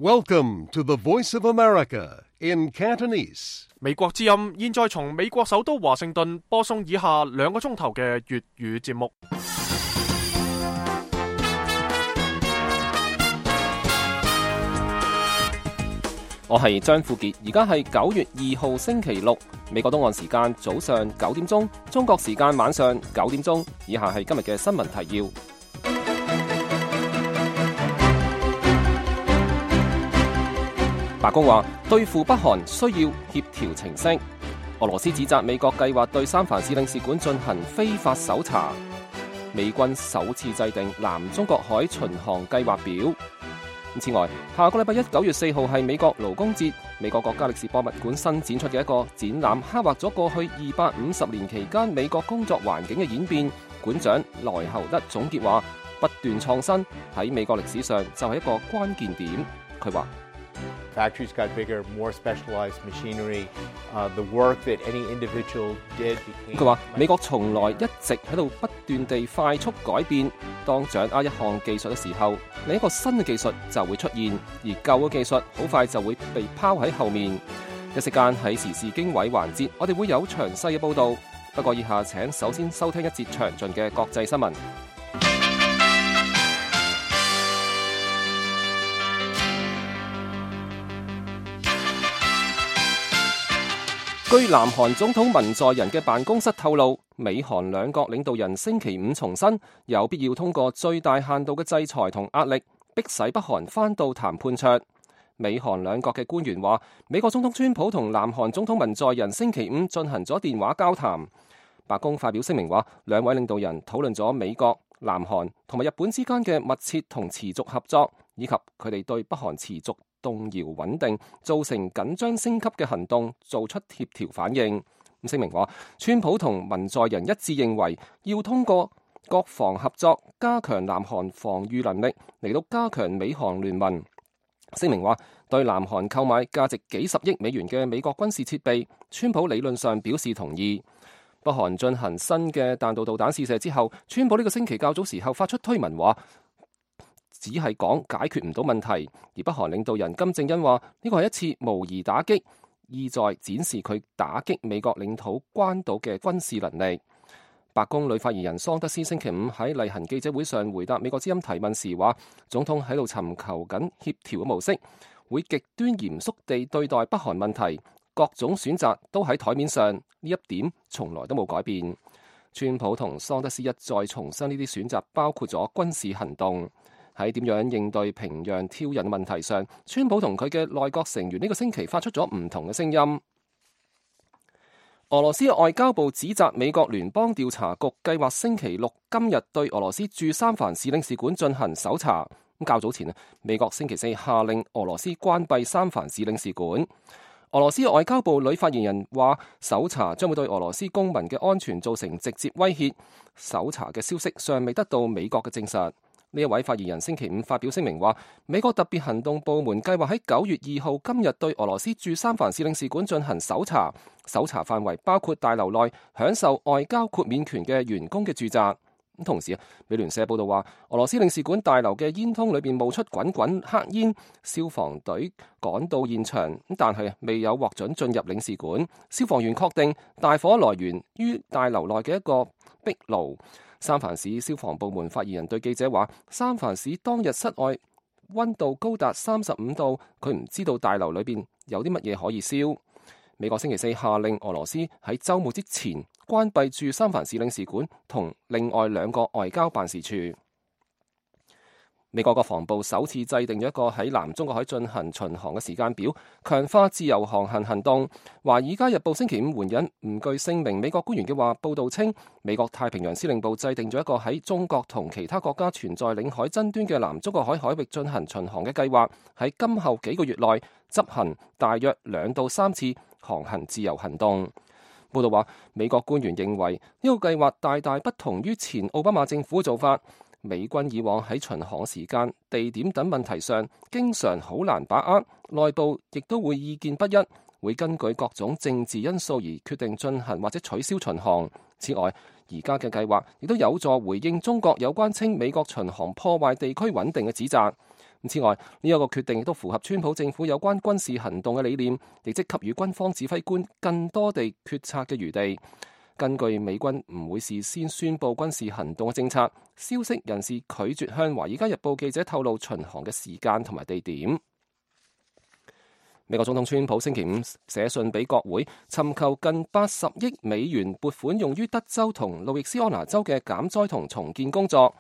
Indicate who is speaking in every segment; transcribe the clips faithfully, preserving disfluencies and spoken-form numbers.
Speaker 1: Welcome to the Voice of America in Cantonese.
Speaker 2: 美國之音現在從美國首都華盛頓播送以下兩個鐘頭嘅粵語節目。
Speaker 3: 我係張富傑，而家係九月二號星期六，美國東岸時間早上九點鐘，中國時間晚上九點鐘。以下係今日嘅新聞提要。白宮話對付北韓需要協調程式。俄羅斯指責美國計劃對三藩市領事館進行非法搜查。美軍首次制定南中國海巡航計劃表。此外，下個禮拜一九月四號係美國勞工節，美國國家歷史博物館新展出嘅一個展覽，刻畫咗過去二百五十年期間美國工作環境嘅演變。館長萊侯德總結話：不斷創新喺美國歷史上就係一個關鍵點。佢話
Speaker 4: Factories got bigger, more specialized machinery. Uh, the work that any individual did became.
Speaker 3: 佢話美國從來一直喺度不斷地快速改變。當掌握一項技術嘅時候，另一個新嘅技術就會出現，而舊嘅技術好快就會被拋喺後面。一時間喺時事經緯環節，我哋會有詳細嘅報導。不過以下請首先收聽一節詳盡嘅國際新聞。據南韓總統文在寅嘅辦公室透露，美韓兩國領導人星期五重申有必要通過最大限度嘅制裁同壓力，迫使北韓返到談判桌。美韓兩國嘅官員話，美國總統川普同南韓總統文在寅星期五進行咗電話交談。白宮發表聲明話，兩位領導人討論咗美國、南韓同埋日本之間嘅密切同持續合作，以及佢哋對北韓持續動搖穩定造成緊張升級嘅行動做出協調反應。咁聲明話，川普同文在寅一致認為要通過國防合作加強南韓防禦能力，嚟到加強美韓聯盟。聲明話，對南韓購買價值幾十億美元嘅美國軍事設備，川普理論上表示同意。北韓進行新嘅彈道導彈試射之後，川普呢個星期較早時候發出推文話，只係講解決唔到問題，而北韓領導人金正恩話呢個係一次模擬打擊，意在展示佢打擊美國領土關島嘅軍事能力。白宮女發言人桑德斯星期五喺例行記者會上回答美國之音提問時話，總統喺度尋求緊協調嘅模式，會極端嚴肅地對待北韓問題，各種選擇都喺台面上，呢一點從來都冇改變。川普同桑德斯一再重申呢啲選擇包括咗軍事行動。喺點樣應對平壤挑釁問題上，川普同佢嘅內閣成員呢個星期發出咗唔同嘅聲音。俄羅斯外交部指責美國聯邦調查局計劃星期六今日對俄羅斯駐三藩市領事館進行搜查。咁較早前，美國星期四下令俄羅斯關閉三藩市領事館。俄羅斯外交部女發言人話，搜查將會對俄羅斯公民嘅安全造成直接威脅。搜查嘅消息尚未得到美國嘅證實。呢一位發言人星期五發表聲明話，美國特別行動部門計劃喺九月二號今日對俄羅斯駐三藩市領事館進行搜查，搜查範圍包括大樓內享受外交豁免權嘅員工嘅住宅。同時，美聯社報道話，俄羅斯領事館大樓嘅煙囪裏邊冒出滾滾黑煙，消防隊趕到現場，但係未有獲准進入領事館。消防員確定大火來源於大樓內嘅一個壁爐。三藩市消防部門發言人對記者話，三藩市當日室外溫度高達三十五度，佢唔知道大樓裏邊有啲乜嘢可以燒。美國星期四下令俄羅斯喺週末之前關閉駐三藩市領事館同另外兩個外交辦事處。美國國防部首次制定咗一個喺南中國海進行巡航嘅時間表，強化自由航行行動。華爾街日報星期五援引唔具姓名美國官員嘅話，報道稱美國太平洋司令部制定咗一個喺中國同其他國家存在領海爭端嘅南中國海海域進行巡航嘅計劃，喺今後幾個月內執行大約兩到三次航行自由行動。報道話，美國官員認為呢個計劃大大不同於前奧巴馬政府嘅做法。美軍以往喺巡航時間、地點等問題上，經常好難把握，內部亦都會意見不一，會根據各種政治因素而決定進行或者取消巡航。此外，而家嘅計劃亦都有助回應中國有關稱美國巡航破壞地區穩定嘅指責。此外，呢一個決定亦都符合川普政府有關軍事行動嘅理念，亦即給予軍方指揮官更多地決策嘅餘地。根據美軍唔會事先宣布軍事行動嘅政策，消息人士拒絕向《華爾街日報》記者透露巡航嘅時間同埋地點。美國總統川普星期五寫信俾國會，尋求近八十億美元撥款用於德州同路易斯安那州嘅減災同重建工作。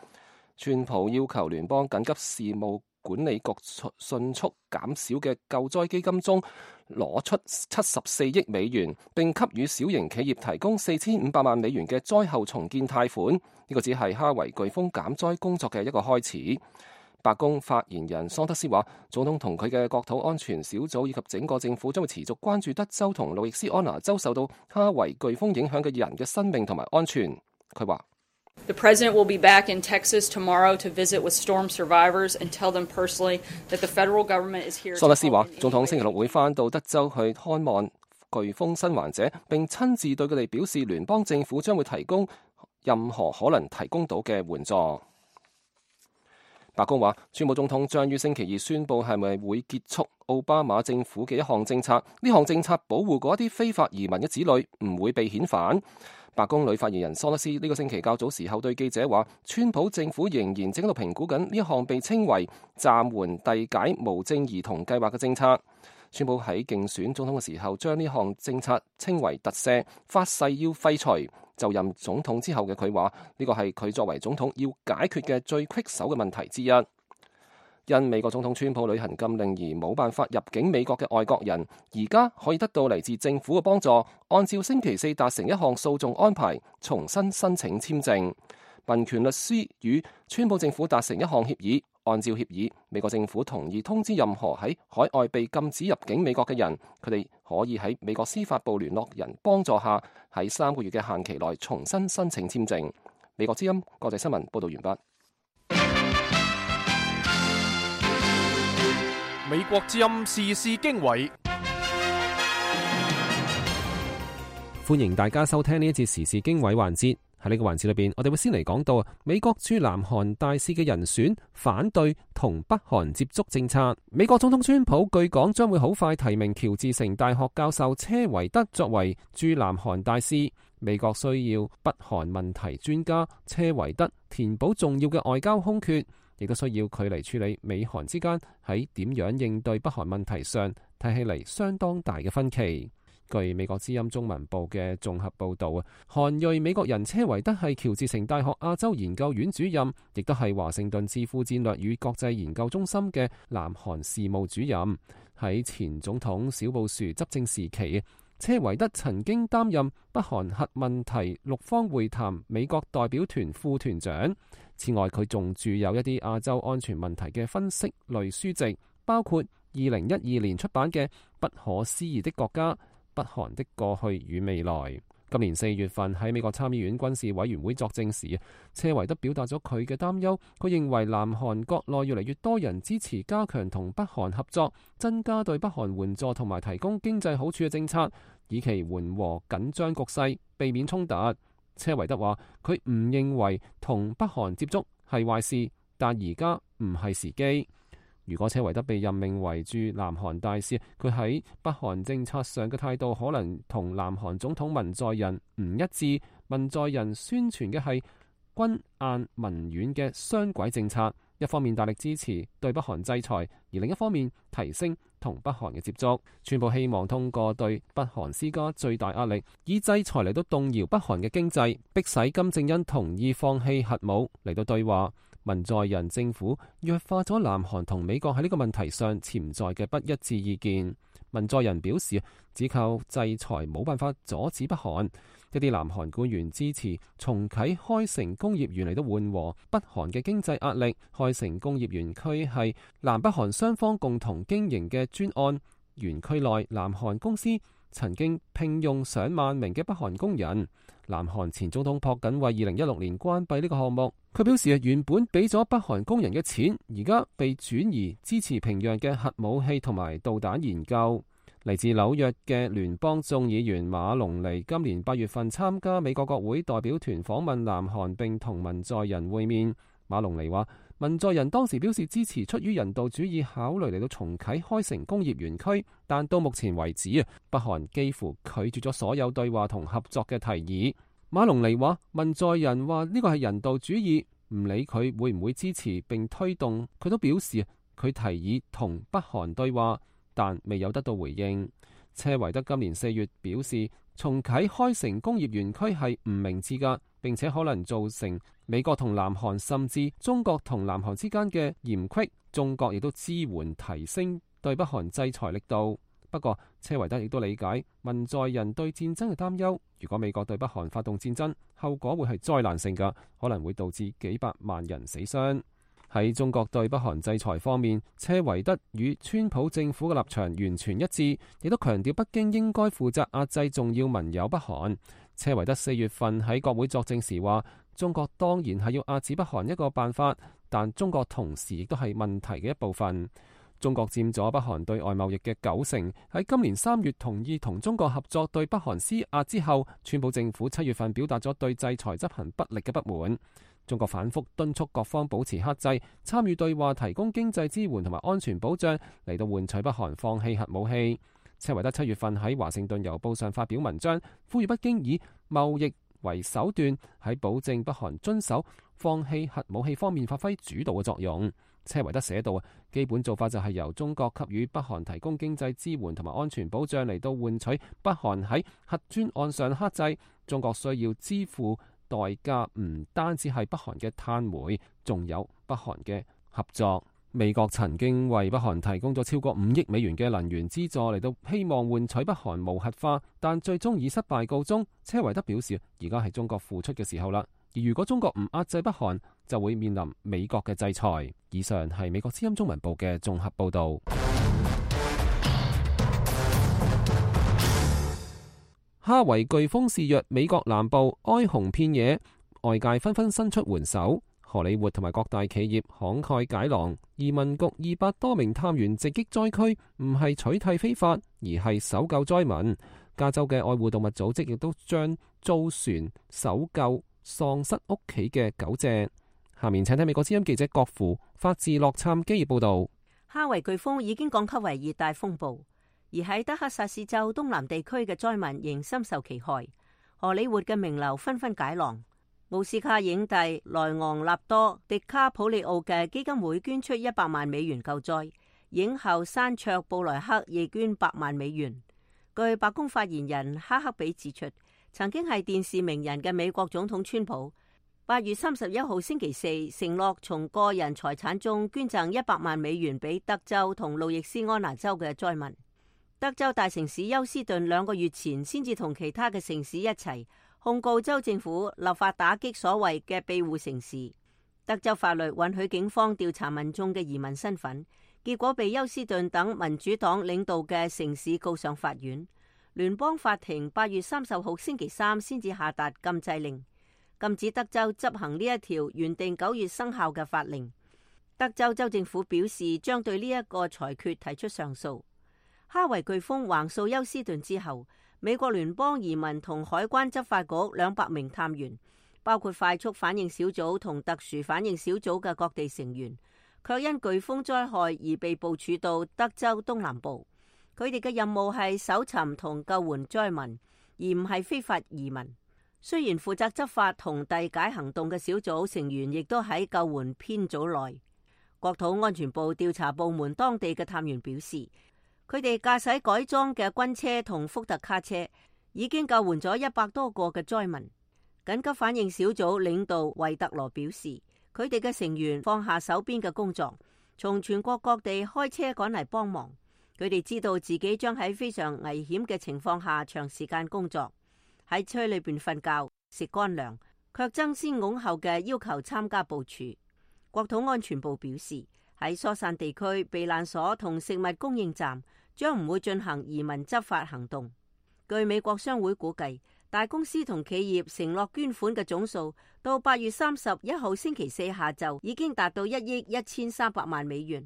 Speaker 3: 川普要求聯邦緊急事務管理局迅速減少嘅救災基金中攞出七十四億美元，並給予小型企業提供四千五百萬美元嘅災後重建貸款。呢、這個只係哈維颶風減災工作嘅一個開始。白宮發言人桑德斯話，總統同佢嘅國土安全小組以及整個政府將會持續關注德州同路易斯安那州受到哈維颶風影響嘅人嘅生命同埋安全。佢話
Speaker 5: The president will be back in Texas tomorrow to visit with storm survivors and tell them personally that the federal government is here.
Speaker 3: 桑德斯話，總統星期六會返到德州去看望颶風生還者，並親自對佢哋表示聯邦政府將會提供任何可能提供到嘅援助。白宮話，川普總統將於星期二宣布係咪會結束奧巴馬政府嘅一項政策，呢項政策保護嗰啲非法移民嘅子女唔會被遣返。白宮女發言人桑德斯呢個星期較早時候對記者話，川普政府仍然正喺度評估緊呢一項被稱為暫緩遞解無證兒童計劃嘅政策。川普喺競選總統嘅時候將呢項政策稱為特赦，發誓要廢除。就任總統之後嘅佢話，呢個係佢作為總統要解決嘅最棘手嘅問題之一。因美國總統川普履行禁令而冇辦法入境美國嘅外國人，而家可以得到嚟自政府嘅幫助，按照星期四達成一項訴訟安排，重新申請簽證。民權律師與川普政府達成一項協議，按照協議，美國政府同意通知任何喺海外被禁止入境美國嘅人，佢哋可以喺美國司法部聯絡人幫助下，喺三個月嘅限期內重新申請簽證。美國之音國際新聞報道完畢。
Speaker 2: 美國之音時事經緯，
Speaker 6: 歡迎大家收聽呢一節時事經緯環節。喺呢個環節裏邊，我哋會先嚟講到美國駐南韓大使嘅人選反對同北韓接觸政策。美國總統川普據講將會好快提名喬治城大學教授車維德作為駐南韓大使。美國需要北韓問題專家車維德填補重要嘅外交空缺，亦都需要佢嚟處理美韓之間喺點樣應對北韓問題上睇起嚟相當大嘅分歧。據美國之音中文部嘅綜合報導啊，韓裔美國人車維德係喬治城大學亞洲研究院主任，亦都係華盛頓智庫戰略與國際研究中心嘅南韓事務主任。喺前總統小布殊執政時期，車維德曾經擔任北韓核問題六方會談美國代表團副團長。此外，佢仲著有一啲亞洲安全問題嘅分析類書籍，包括二零一二年出版嘅《不可思議的國家：北韓的過去與未來》。今年四月份喺美國參議院軍事委員會作證時，車維德表達咗佢嘅擔憂。佢認為南韓國內越嚟越多人支持加強同北韓合作，增加對北韓援助同埋提供經濟好處嘅政策，以期緩和緊張局勢，避免衝突。車維德話：佢唔認為同北韓接觸係壞事，但而家唔係時機。如果車維德被任命為駐南韓大使，佢喺北韓政策上嘅態度可能同南韓總統文在寅唔一致。文在寅宣傳嘅係軍硬民軟嘅雙軌政策，一方面大力支持對北韓制裁，而另一方面提升同北韓嘅接觸。川普希望通過對北韓施加最大壓力，以制裁嚟到動搖北韓嘅經濟，迫使金正恩同意放棄核武嚟到對話。文在寅政府弱化咗南韓同美國喺呢個問題上潛在嘅不一致意見。文在寅表示，只靠制裁冇辦法阻止北韓。一啲南韓官員支持重啟開城工業園嚟到緩和北韓嘅經濟壓力。開城工業園區係南北韓雙方共同經營嘅專案，園區內南韓公司曾經聘用上萬名嘅北韓工人。南韓前總統朴槿惠二零一六年關閉呢個項目，佢表示原本俾咗北韓工人嘅錢，而家被轉移支持平壤嘅核武器同埋導彈研究。嚟自紐約嘅聯邦眾議員馬龍尼今年八月份參加美國國會代表團訪問南韓，並同文在寅會面。馬龍尼話：文在寅當時表示支持出於人道主義考慮嚟到重啟開城工業園區，但到目前為止啊，北韓幾乎拒絕咗所有對話同合作嘅提議。馬龍尼話文在寅話呢個係人道主義，唔理佢會唔會支持並推動，佢都表示佢提議同北韓對話，但未有得到回應。車維德今年四月表示，重啟開城工業園區係唔明智㗎，並且可能造成美國同南韓甚至中國同南韓之間嘅嫌隙。中國亦都支援提升對北韓制裁力度。不過，車維德亦都理解文在寅對戰爭嘅擔憂。如果美國對北韓發動戰爭，後果會係災難性㗎，可能會導致幾百萬人死傷。喺中國對北韓制裁方面，車維德與川普政府嘅立場完全一致，亦都強調北京應該負責壓制重要盟友北韓。車維德四月份喺國會作證時話，中國當然係要壓制北韓一個辦法，但中國同時亦都係問題嘅一部分。中國佔咗北韓對外貿易嘅九成，喺今年三月同意同中國合作對北韓施壓之後，川普政府七月份表達咗對制裁執行不力嘅不滿。中國反覆敦促各方保持克制，參與對話，提供經濟支援同埋安全保障，嚟到換取北韓放棄核武器。車維德七月份喺華盛頓郵報上發表文章，呼籲北京以貿易為手段，喺保證北韓遵守放棄核武器方面發揮主導嘅作用。車維德寫道，基本做法就係由中國給予北韓提供經濟支援同埋安全保障，嚟到換取北韓喺核專案上克制。中國需要支付代價唔單止係北韓嘅碳煤，仲有北韓嘅合作。美國曾經為北韓提供咗超過五億美元嘅能源資助，嚟到希望換取北韓無核化，但最終以失敗告終。車維德表示，而家係中國付出嘅時候啦，而如果中國唔壓制北韓，就會面臨美國嘅制裁。以上係美國之音中文部嘅綜合報道。哈維颶風肆虐美國南部，哀鴻遍野，外界紛紛伸出援手。荷里活同埋各大企業慷慨解囊，移民局二百多名探員直擊災區，唔係取締非法，而係搜救災民。加州嘅愛護動物組織亦都將租船搜救喪失屋企嘅狗隻。下面請聽美國之音記者郭芙發自洛杉磯報道。
Speaker 7: 哈維颶風已經降級為熱帶風暴。而喺德克薩斯州東南地區嘅災民仍深受其害，荷里活嘅名流紛紛解囊。奧斯卡影帝萊昂納多·迪卡普里奧嘅基金會捐出一百萬美元救災，影后山卓布萊克亦捐百萬美元。據白宮發言人哈克比指出，曾經係電視名人嘅美國總統川普，八月三十一號星期四承諾從個人財產中捐贈一百萬美元俾德州同路易斯安那州嘅災民。德州大城市休斯頓兩個月前先至同其他嘅城市一齊控告州政府立法打擊所謂嘅庇護城市。德州法律允許警方調查民眾嘅移民身份，結果被休斯頓等民主黨領導嘅城市告上法院。聯邦法庭八月三十號星期三先至下達禁制令，禁止德州執行呢一條原定九月生效嘅法令。德州州政府表示將對呢一個裁決提出上訴。哈維颶風橫掃休斯頓之後，美國聯邦移民同海關執法局兩百名探員，包括快速反應小組同特殊反應小組嘅各地成員，卻因颶風災害而被部署到德州東南部。佢哋嘅任務係搜尋同救援災民，而唔係非法移民。雖然負責執法同遞解行動嘅小組成員亦都喺救援編組內。國土安全部調查部門當地嘅探員表示，佢哋駕駛改裝嘅軍車同福特卡車，已經救援咗一百多個嘅災民。緊急反應小組領導維特羅表示，佢哋嘅成員放下手邊嘅工作，從全國各地開車趕嚟幫忙。佢哋知道自己將喺非常危險嘅情況下長時間工作，喺車裏邊瞓覺、食乾糧，卻爭先恐後嘅要求參加部署。國土安全部表示，喺疏散地區避難所同食物供應站將唔會進行移民執法行動。據美國商會估計，大公司同企業承諾捐款嘅總數到八月三十一號星期四下晝已經達到一億一千三百萬美元，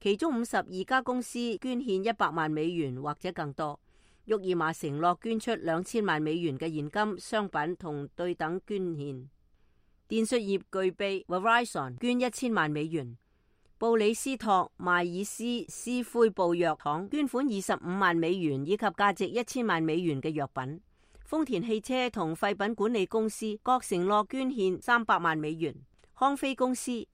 Speaker 7: 其中五十二家公司捐獻一百萬美元或者更多。沃爾瑪承諾捐出兩千萬美元嘅現金、商品同對等捐獻。電訊業巨擘 Verizon 捐一千萬美元，布里斯托邁爾斯斯奎布藥廠捐款二十五萬美元以及價值一千萬美元嘅藥品。豐田汽車同廢品管理公司各承諾捐獻三百萬美元。康菲公司、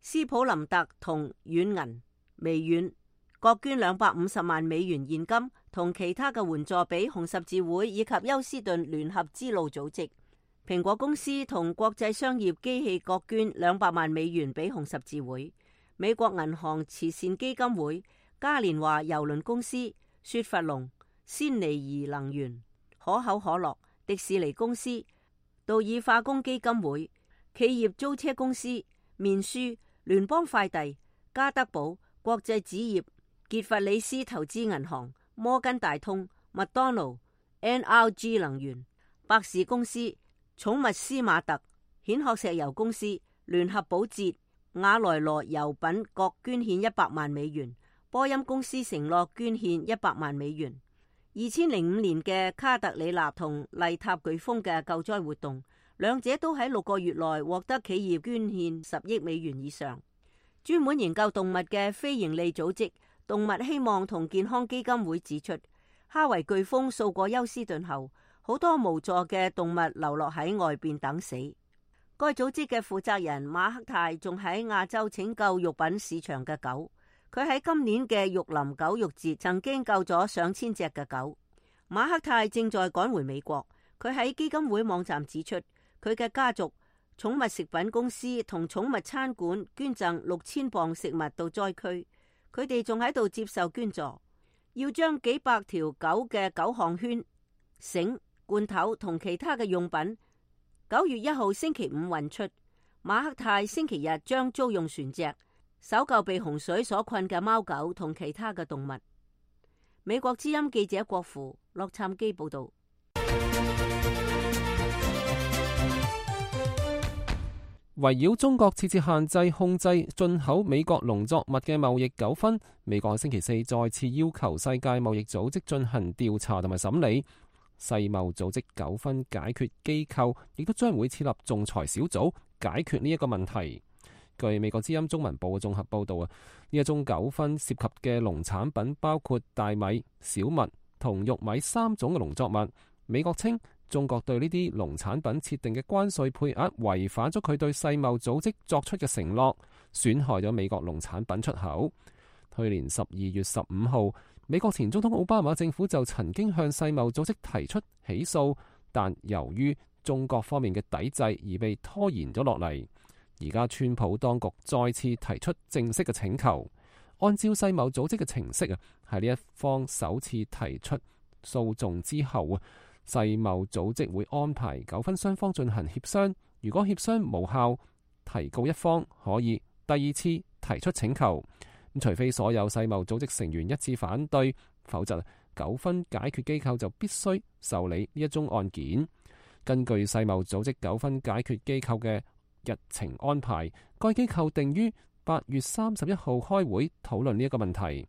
Speaker 7: 斯普林特同軟銀、微軟各捐兩百五十萬美元現金同其他嘅援助俾紅十字會以及休斯頓聯合之路組織。蘋果公司同國際商業機器各捐兩百萬美元俾紅十字會。美國銀行慈善基金會、嘉年華郵輪公司、雪佛龍、鮮尼怡能源、可口可樂、迪士尼公司、道爾化工基金會、企業租車公司、面書、聯邦快遞、加德堡、國際紙業、傑弗里斯投資銀行、摩根大通、麥當勞、N R G 能源、百事公司、寵物斯馬特、蜆殼石油公司、聯合保潔、雅萊羅油品各捐獻一百萬美元，波音公司承諾捐獻一百萬美元。二千零五年嘅卡特里娜同麗塔颶風嘅救災活動，兩者都喺六個月內獲得企業捐獻十億美元以上。專門研究動物嘅非營利組織動物希望同健康基金會指出，哈維颶風掃過休斯頓後，好多無助嘅動物流落喺外邊等死。該組織嘅負責人馬克泰仲喺亞洲拯救肉品市場嘅狗，佢喺今年嘅玉林狗肉節曾經救咗上千隻嘅狗。馬克泰正在趕回美國，佢喺基金會網站指出，佢嘅家族寵物食品公司同寵物餐館捐贈六千磅食物到災區，佢哋仲喺度接受捐助，要將幾百條狗嘅狗項圈、繩、罐頭同其他嘅用品九月一號星期五運出。馬克泰星期日將租用船隻搜救被洪水所困嘅貓狗同其他嘅動物。美國之音記者郭芙洛杉磯報道。
Speaker 6: 圍繞中國設置限制控制進口美國農作物嘅貿易糾紛，美國星期四再次要求世界貿易組織進行調查同埋審理。世貿組織糾紛解決機構亦都將會設立仲裁小組解決呢一個問題。據美國之音中文部嘅綜合報道啊，呢一宗糾紛涉及嘅農產品包括大米、小麥同玉米三種嘅農作物。美國稱中國對呢啲農產品設定嘅關稅配額違反咗佢對世貿組織作出嘅承諾，損害咗美國農產品出口。去年十二月十五號，美國前總統奧巴馬政府就曾經向世貿組織提出起訴，但由於中國方面嘅抵制而被拖延咗落嚟。而家川普當局再次提出正式嘅請求，按照世貿組織嘅程式啊，喺呢一方首次提出訴訟之後啊，世貿組織會安排糾紛雙方進行協商，如果協商無效，提告一方可以第二次提出請求。咁除非所有世貿組織成員一致反對，否則糾紛解決機構就必須受理呢一宗案件。根據世貿組織糾紛解決機構嘅日程安排，該機構定於八月三十一號開會討論呢一個問題。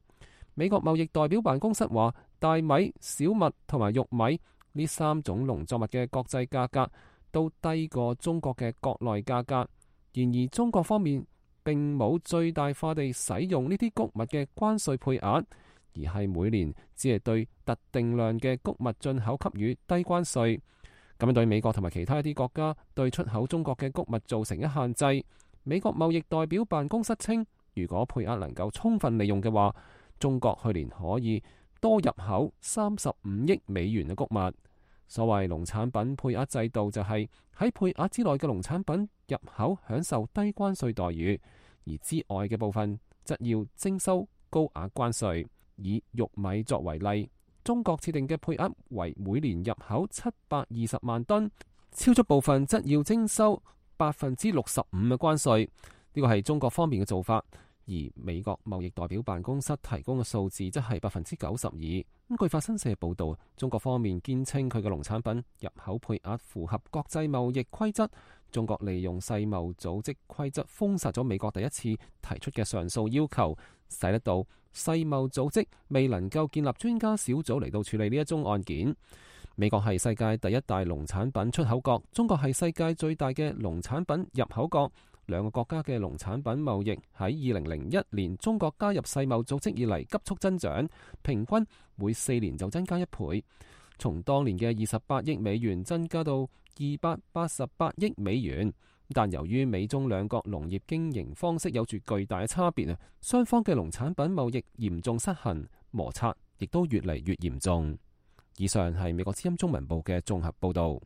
Speaker 6: 美國貿易代表辦公室話，大米、小麥同埋玉米呢三種農作物嘅國際價格都低過中國嘅國內價格。然而中國方面並冇最大化地使用呢啲穀物嘅關稅配額，而係每年只係對特定量嘅穀物進口給予低關稅。咁樣對美國同埋其他一啲國家對出口中國嘅穀物造成一限制。美國貿易代表辦公室稱，如果配額能夠充分利用嘅話，中國去年可以多入口三十五億美元嘅穀物。所謂農產品配額制度就係喺配額之內嘅農產品入口享受低關稅待遇，而之外嘅部分則要徵收高額關稅。以玉米作為例，中國設定嘅配額為每年入口七百二十萬噸，超出部分則要徵收百分之六十五嘅關稅。呢個係中國方面嘅做法，而美國貿易代表辦公室提供嘅數字則係百分之九十二。咁據法新社報道，中國方面堅稱佢嘅農產品入口配額符合國際貿易規則。中國利用世貿組織規則封殺咗美國第一次提出嘅上訴要求，使得到世貿組織未能夠建立專家小組嚟到處理呢一宗案件。美國係世界第一大農產品出口國，中國係世界最大嘅農產品入口國。兩個國家嘅農產品貿易喺二零零一年中國加入世貿組織以嚟急速增長，平均每四年就增加一倍，從當年嘅二十八億美元增加到二百八十八億美元。但由於美中兩國農業經營方式有住巨大嘅差別啊，雙方嘅農產品貿易嚴重失衡，摩擦亦都越嚟越嚴重。以上係美國之音中文部嘅綜合報導。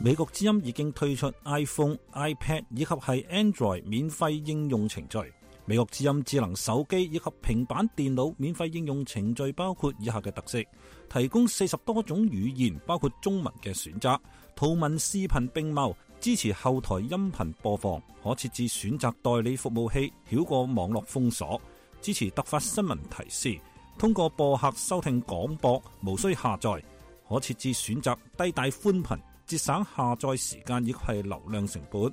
Speaker 8: 美國之音已經推出 iPhone、iPad 以及係 Android 免費應用程序。美國之音智能手機以及平板電腦免費應用程序包括以下嘅特色：提供四十多種語言，包括中文嘅選擇，圖文視頻並茂，支持後台音頻播放，可設置選擇代理服務器，繞過網絡封鎖，支持突發新聞提示，通過播客收聽廣播，無需下載，可設置選擇低帶寬頻，節省下載時間以及係流量成本。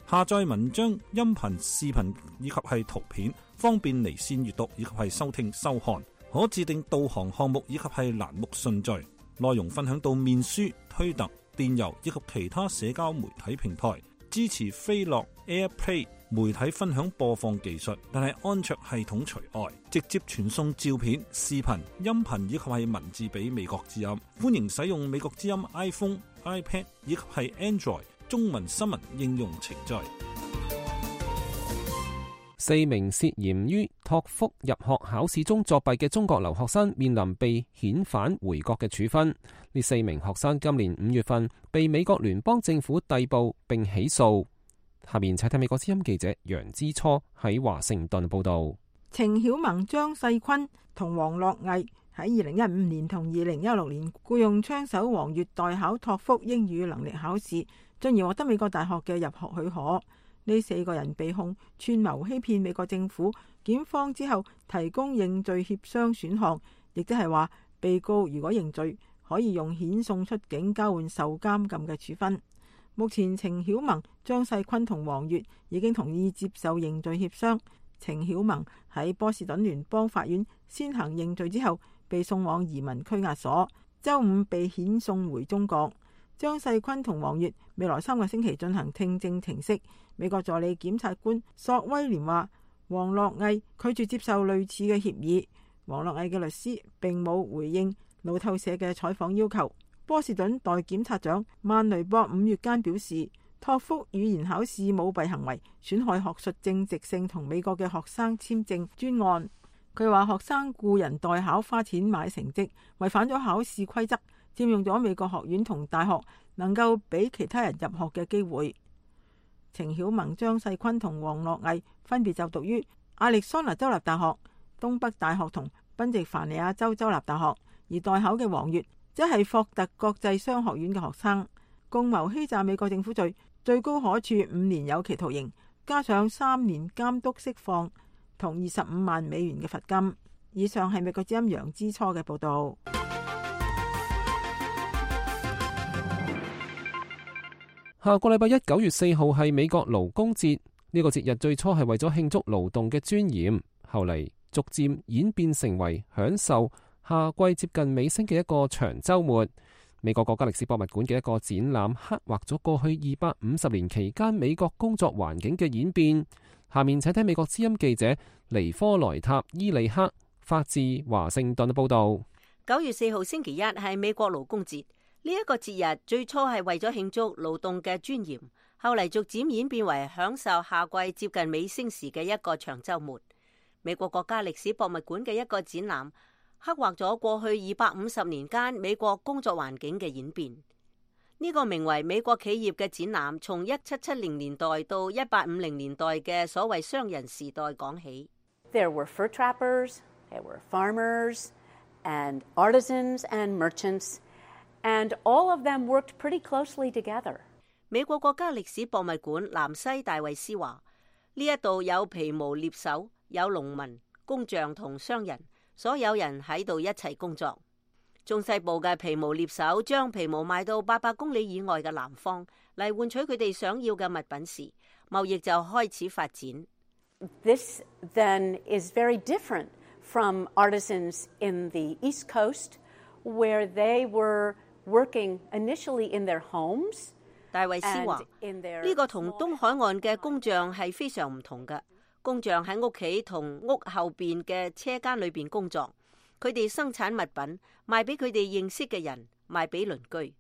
Speaker 8: 下載文章、音頻、視頻以及係圖片，方便離線閱讀以及係收聽收看。可自定導航項目以及係欄目順序。內容分享到面書、推特、電郵以及其他社交媒體平台。支持飛樂 AirPlay 媒體分享播放技術，但係安卓系統除外。直接傳送照片、視頻、音頻以及係文字俾美國之音。歡迎使用美國之音 iPhone、iPad 以及係 Android中文新聞應用程序。
Speaker 6: 四名涉嫌於托福入學考試中作弊嘅中國留學生面臨被遣返回國嘅處分。呢四名學生今年五月份被美國聯邦政府逮捕並起訴。下面請睇美國之音記者楊之初喺華盛頓報道。
Speaker 9: 程曉萌、張世坤同黃樂毅喺二零一五年同二零一六年僱用槍手黃月代考托福英語能力考試，進而獲得美國大學嘅入學許可。呢四個人被控串謀欺騙美國政府，檢方之後提供認罪協商選項，亦即係話被告如果認罪，可以用遣送出境交換受監禁嘅處分。目前程曉萌、張世坤同黃月已經同意接受認罪協商。程曉萌喺波士頓聯邦法院先行認罪之後，被送往移民拘押所，周五被遣送回中國。張世坤同黃月未來三個星期進行聽證程式。美國助理檢察官索威廉話，黃樂毅拒絕接受類似嘅協議。黃樂毅嘅律師並冇回應路透社嘅採訪要求。波士頓代檢察長曼雷博五月間表示，托福語言考試舞弊行為損害學術正直性同美國嘅學生簽證專案。佢話學生雇人代考花錢買成績，違反咗考試規則，佔用咗美國學院同大學能夠俾其他人入學嘅機會。程曉萌、張世坤同黃樂毅分別就讀於亞利桑那州立大學、東北大學同賓夕凡尼亞州州立大學，而代考嘅黃月即係霍特國際商學院嘅學生。共謀欺詐美國政府罪，最高可處五年有期徒刑，加上三年監督釋放同二十五萬美元嘅罰金。以上係美國之音楊之初嘅報道。
Speaker 6: 下個禮拜一九月四號係美國勞工節，呢個節日最初係為咗慶祝勞動嘅尊嚴，後嚟逐漸演變成為享受夏季接近尾聲嘅一個長週末。美國國家歷史博物館嘅一個展覽刻畫咗過去二百五十年期間美國工作環境嘅演變。下面請睇美國之音記者尼科萊塔伊利克發自華盛頓嘅報道。
Speaker 7: 九月四號星期一係美國勞工節。呢一個節日最初係為咗慶祝勞動嘅尊嚴，後嚟逐漸演變為享受夏季接近尾聲時嘅一個長週末。美國國家歷史博物館嘅一個展覽刻畫咗過去二百五十年間美國工作環境嘅演變。呢個名為美國企業嘅展覽，從一七七零年代到一八五零年代嘅所謂商人時代講起。
Speaker 10: There were fur trappers, there were farmers, and artisans and merchants.And all of them worked pretty closely together.
Speaker 7: 美國國家歷史博物館南西戴維斯話：呢一度有皮毛獵手，有農民、工匠同商人，所有人喺度一齊工作。中西部嘅皮毛獵手將皮毛賣到八百公里以外嘅南方，嚟換取佢哋想要嘅物品時，貿易就開始發展。
Speaker 10: This then is very different from artisans in the East Coast, where they were working initially in their homes.
Speaker 7: 戴維斯話：呢個同東海岸嘅工匠係非常唔同嘅。工匠喺屋企同屋後邊嘅車間裏邊工作，佢哋生產物品賣俾佢哋認識嘅人，賣俾鄰居。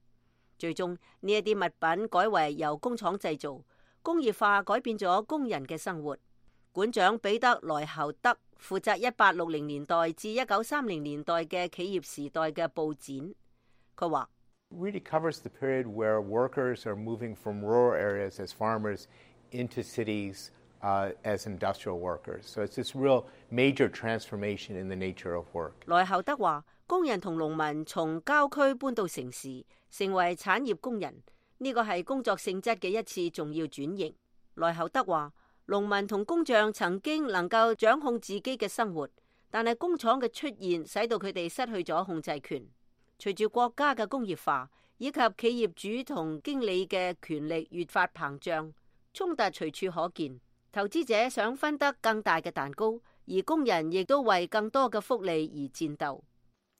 Speaker 7: 最終呢一啲物品改為由工廠製造，工業化改變咗工人嘅生活。館長彼得萊侯德負責一八六零年代至一九三零年代嘅企業時代嘅佈展。佢話
Speaker 4: ：Really covers the period where workers are moving from rural areas as farmers into cities uh, as industrial workers. So it's this real major transformation in the nature of work.
Speaker 7: 萊侯德話：工人同農民從郊區搬到城市，成為產業工人，呢個係工作性質嘅一次重要轉型。萊侯德話：農民同工匠曾經能夠掌控自己嘅生活，但係工廠嘅出現使到佢哋失去咗控制權。隨住國家嘅工業化以及企業主同經理嘅權力越發膨脹，衝突隨處可見。投資者想分得更大嘅蛋糕，而工人亦都為更多嘅福利而戰鬥。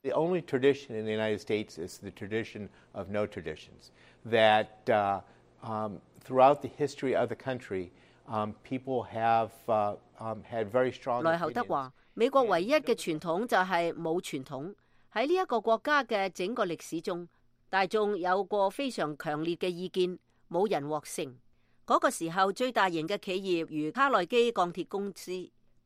Speaker 4: The only tradition in the United States is the tradition of no traditions. That uh, um, throughout the history of the country, um, people have uh, um, had very strong.
Speaker 7: 萊侯德話：美國唯一嘅傳統就係冇傳統。喺呢一個國家嘅整個歷史中，大眾有過非常強烈嘅意見，冇人獲勝。嗰個時候，最大型嘅企業如卡內基鋼鐵公司、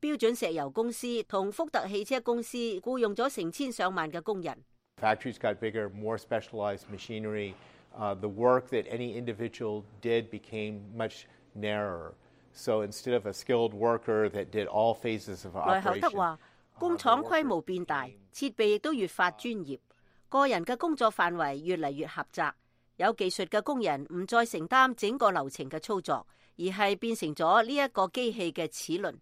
Speaker 7: 標準石油公司同福特汽車公司僱用咗成千上萬嘅工人。
Speaker 4: Factories got bigger, more specialized machinery. Uh, the work that any individual did became much narrower. So instead of a skilled worker that did all phases of operation. 萊侯德話：工廠規模變大，設備亦都越發專業，個人嘅工作範圍越嚟越狹窄。有技術嘅工人唔再承擔整個流程嘅操作，而係變成咗呢一個機器嘅齒輪。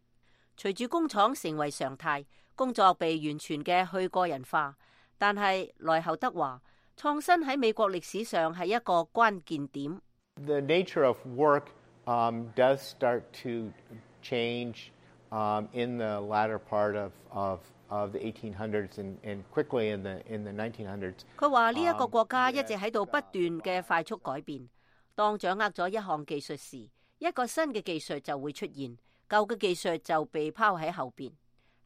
Speaker 4: 隨住工廠成為常態，工作被完全嘅去個人化。但係萊侯德話，創新喺美國歷史上係一個關鍵點。The nature of work um, does start to change um, in the latter part of, of, of the eighteen hundreds and, and quickly in the, in the nineteen hundreds.
Speaker 7: 佢話呢一個國家一直喺度不斷嘅快速改變。當掌握咗一項技術時，一個新嘅技術就會出現，舊嘅技術就被拋喺後邊。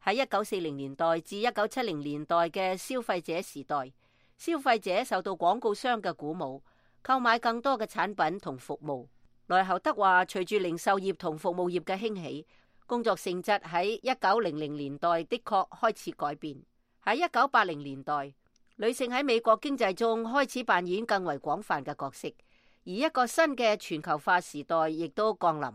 Speaker 7: 喺一九四零年代至一九七零年代嘅消費者時代，消費者受到廣告商嘅鼓舞，購買更多嘅產品同服務。萊侯德話，隨住零售業同服務業嘅興起，工作性質喺一九零零年代的確開始改變。喺一九八零年代，女性喺美國經濟中開始扮演更為廣泛嘅角色，而一個新嘅全球化時代亦都降臨。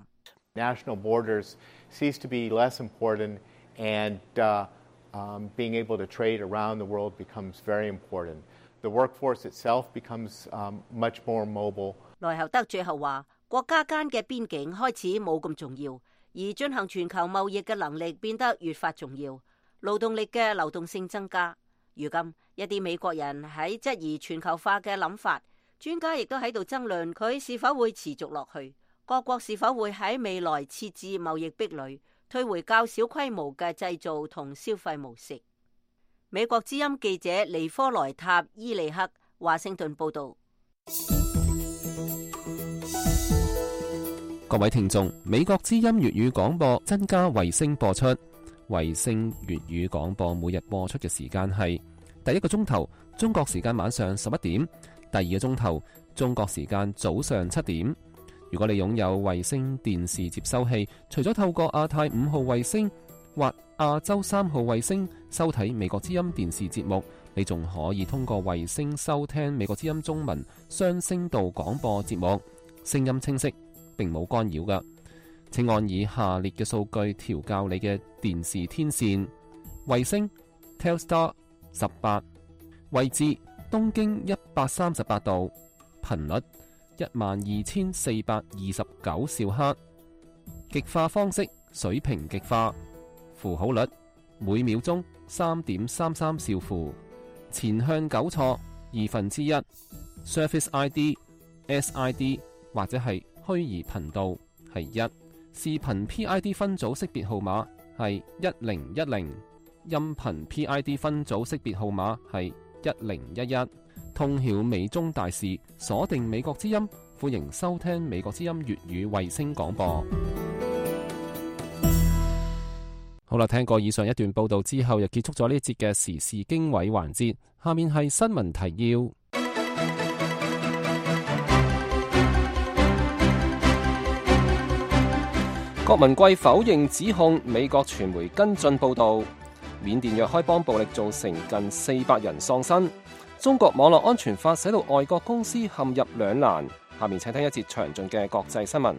Speaker 4: National borders cease to be less important, and uh, um, being able to trade around the world becomes very important. The workforce itself becomes um, much more mobile.
Speaker 7: 萊侯德最後話，國家間嘅邊境開始冇咁重要，而進行全球貿易嘅能力變得越發重要，勞動力嘅流動性增加。如今一啲美國人喺質疑全球化嘅諗法，專家亦都喺度爭論佢是否會持續落去。各國是否會喺未來設置貿易壁壘，退回較小規模嘅製造同消費模式？美國之音記者尼科萊塔伊利克華盛頓報道。
Speaker 6: 各位聽眾，美國之音粵語廣播增加衛星播出，衛星粵語廣播每日播出嘅時間係第一個鐘頭中國時間晚上十一點，第二個鐘頭中國時間早上七點。如果你擁有衛星電視接收器，除咗透過亞太五號衛星或亞洲三號衛星收睇美國之音電視節目，你仲可以通過衛星收聽美國之音中文雙聲道廣播節目，聲音清晰，並冇干擾㗎。請按以下列嘅數據調校你嘅電視天線：衛星 Telstar 十八，位置東經一百三十八度，頻率一萬二千四百二十九兆赫，極化方式水平極化，符號率每秒鐘三點三三兆符，前向糾錯二分之一 ，Service I D、S I D 或者係虛擬頻道係一，視頻 P I D 分組識別號碼係一零一零，音頻 P I D 分組識別號碼係一零一一。通曉美中大事，鎖定美國之音，歡迎收聽美國之音粵語衛星廣播。好啦，聽過以上一段報道之後，又結束咗呢一節嘅時事經緯環節。下面係新聞提要。
Speaker 3: 郭文貴否認指控，美國傳媒跟進報道。緬甸若開邦暴力造成近四百人喪生。中國網絡安全法使到外國公司陷入兩難。下面請聽一節詳盡嘅國際新聞。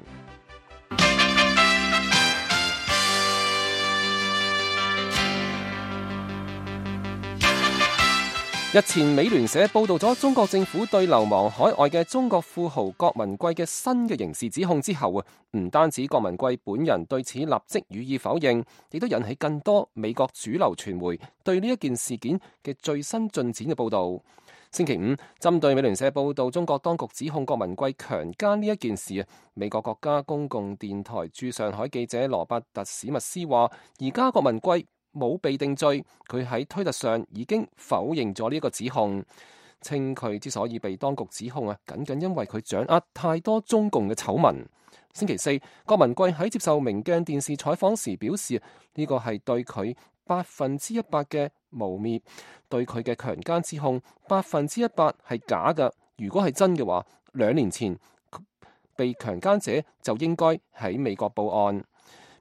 Speaker 3: 日前美聯社報道咗中國政府對流亡海外嘅中國富豪郭文貴嘅新嘅刑事指控之後啊，唔單止郭文貴本人對此立即予以否認，亦都引起更多美國主流傳媒對呢一件事件嘅最新進展嘅報道。星期五，針對美聯社報道中國當局指控郭文貴強姦呢一件事啊，美國國家公共電台駐上海記者羅伯特史密斯話：而家郭文貴冇被定罪，佢喺推特上已經否認咗呢一個指控，稱佢之所以被當局指控啊，僅僅因為佢掌握太多中共嘅醜聞。星期四，郭文貴喺接受明鏡電視採訪時表示，呢個係對佢百分之一百嘅誣衊，對佢嘅強姦指控百分之一百係假嘅。如果係真嘅話，兩年前被強姦者就應該喺美國報案。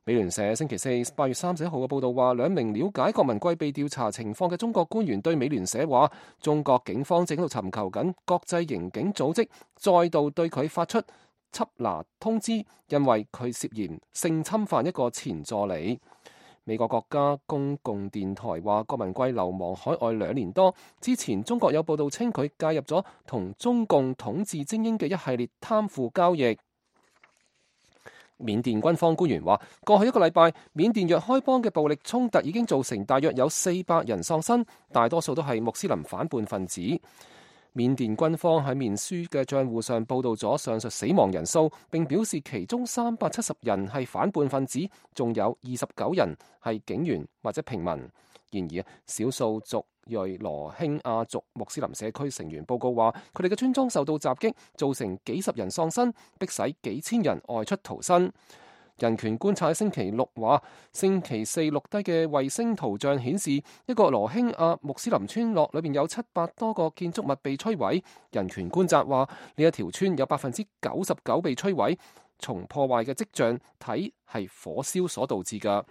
Speaker 3: 美聯社星期四八月三十一號嘅報道話，兩名了解郭文貴被調查情況嘅中國官員對美聯社話，中國警方正喺度尋求緊國際刑警組織再度對佢發出緝拿通知，因為佢涉嫌性侵犯一個前助理。美國國家公共電台話，郭文貴流亡海外兩年多，之前中國有報道稱佢介入咗同中共統治精英嘅一系列貪腐交易。緬甸軍方官員話，過去一個禮拜，緬甸若開邦嘅暴力衝突已經造成大約有四百人喪生，大多數都係穆斯林反叛分子。緬甸軍方喺面書嘅賬戶上報道咗上述死亡人數，並表示其中三百七十人係反叛分子，仲有二十九人係警員或者平民。然而，少數族裔羅興亞族穆斯林社區成員報告話，佢哋嘅村莊受到襲擊，造成幾十人喪生，迫使幾千人外出逃生。人權觀察星期六話，星期四錄低嘅衛星圖像顯示，一個羅興亞穆斯林村落裏面有七百多個建築物被摧毀。人權觀察話，呢一條村有百分之九十九被摧毀，從破壞嘅跡象睇係火燒所導致㗎。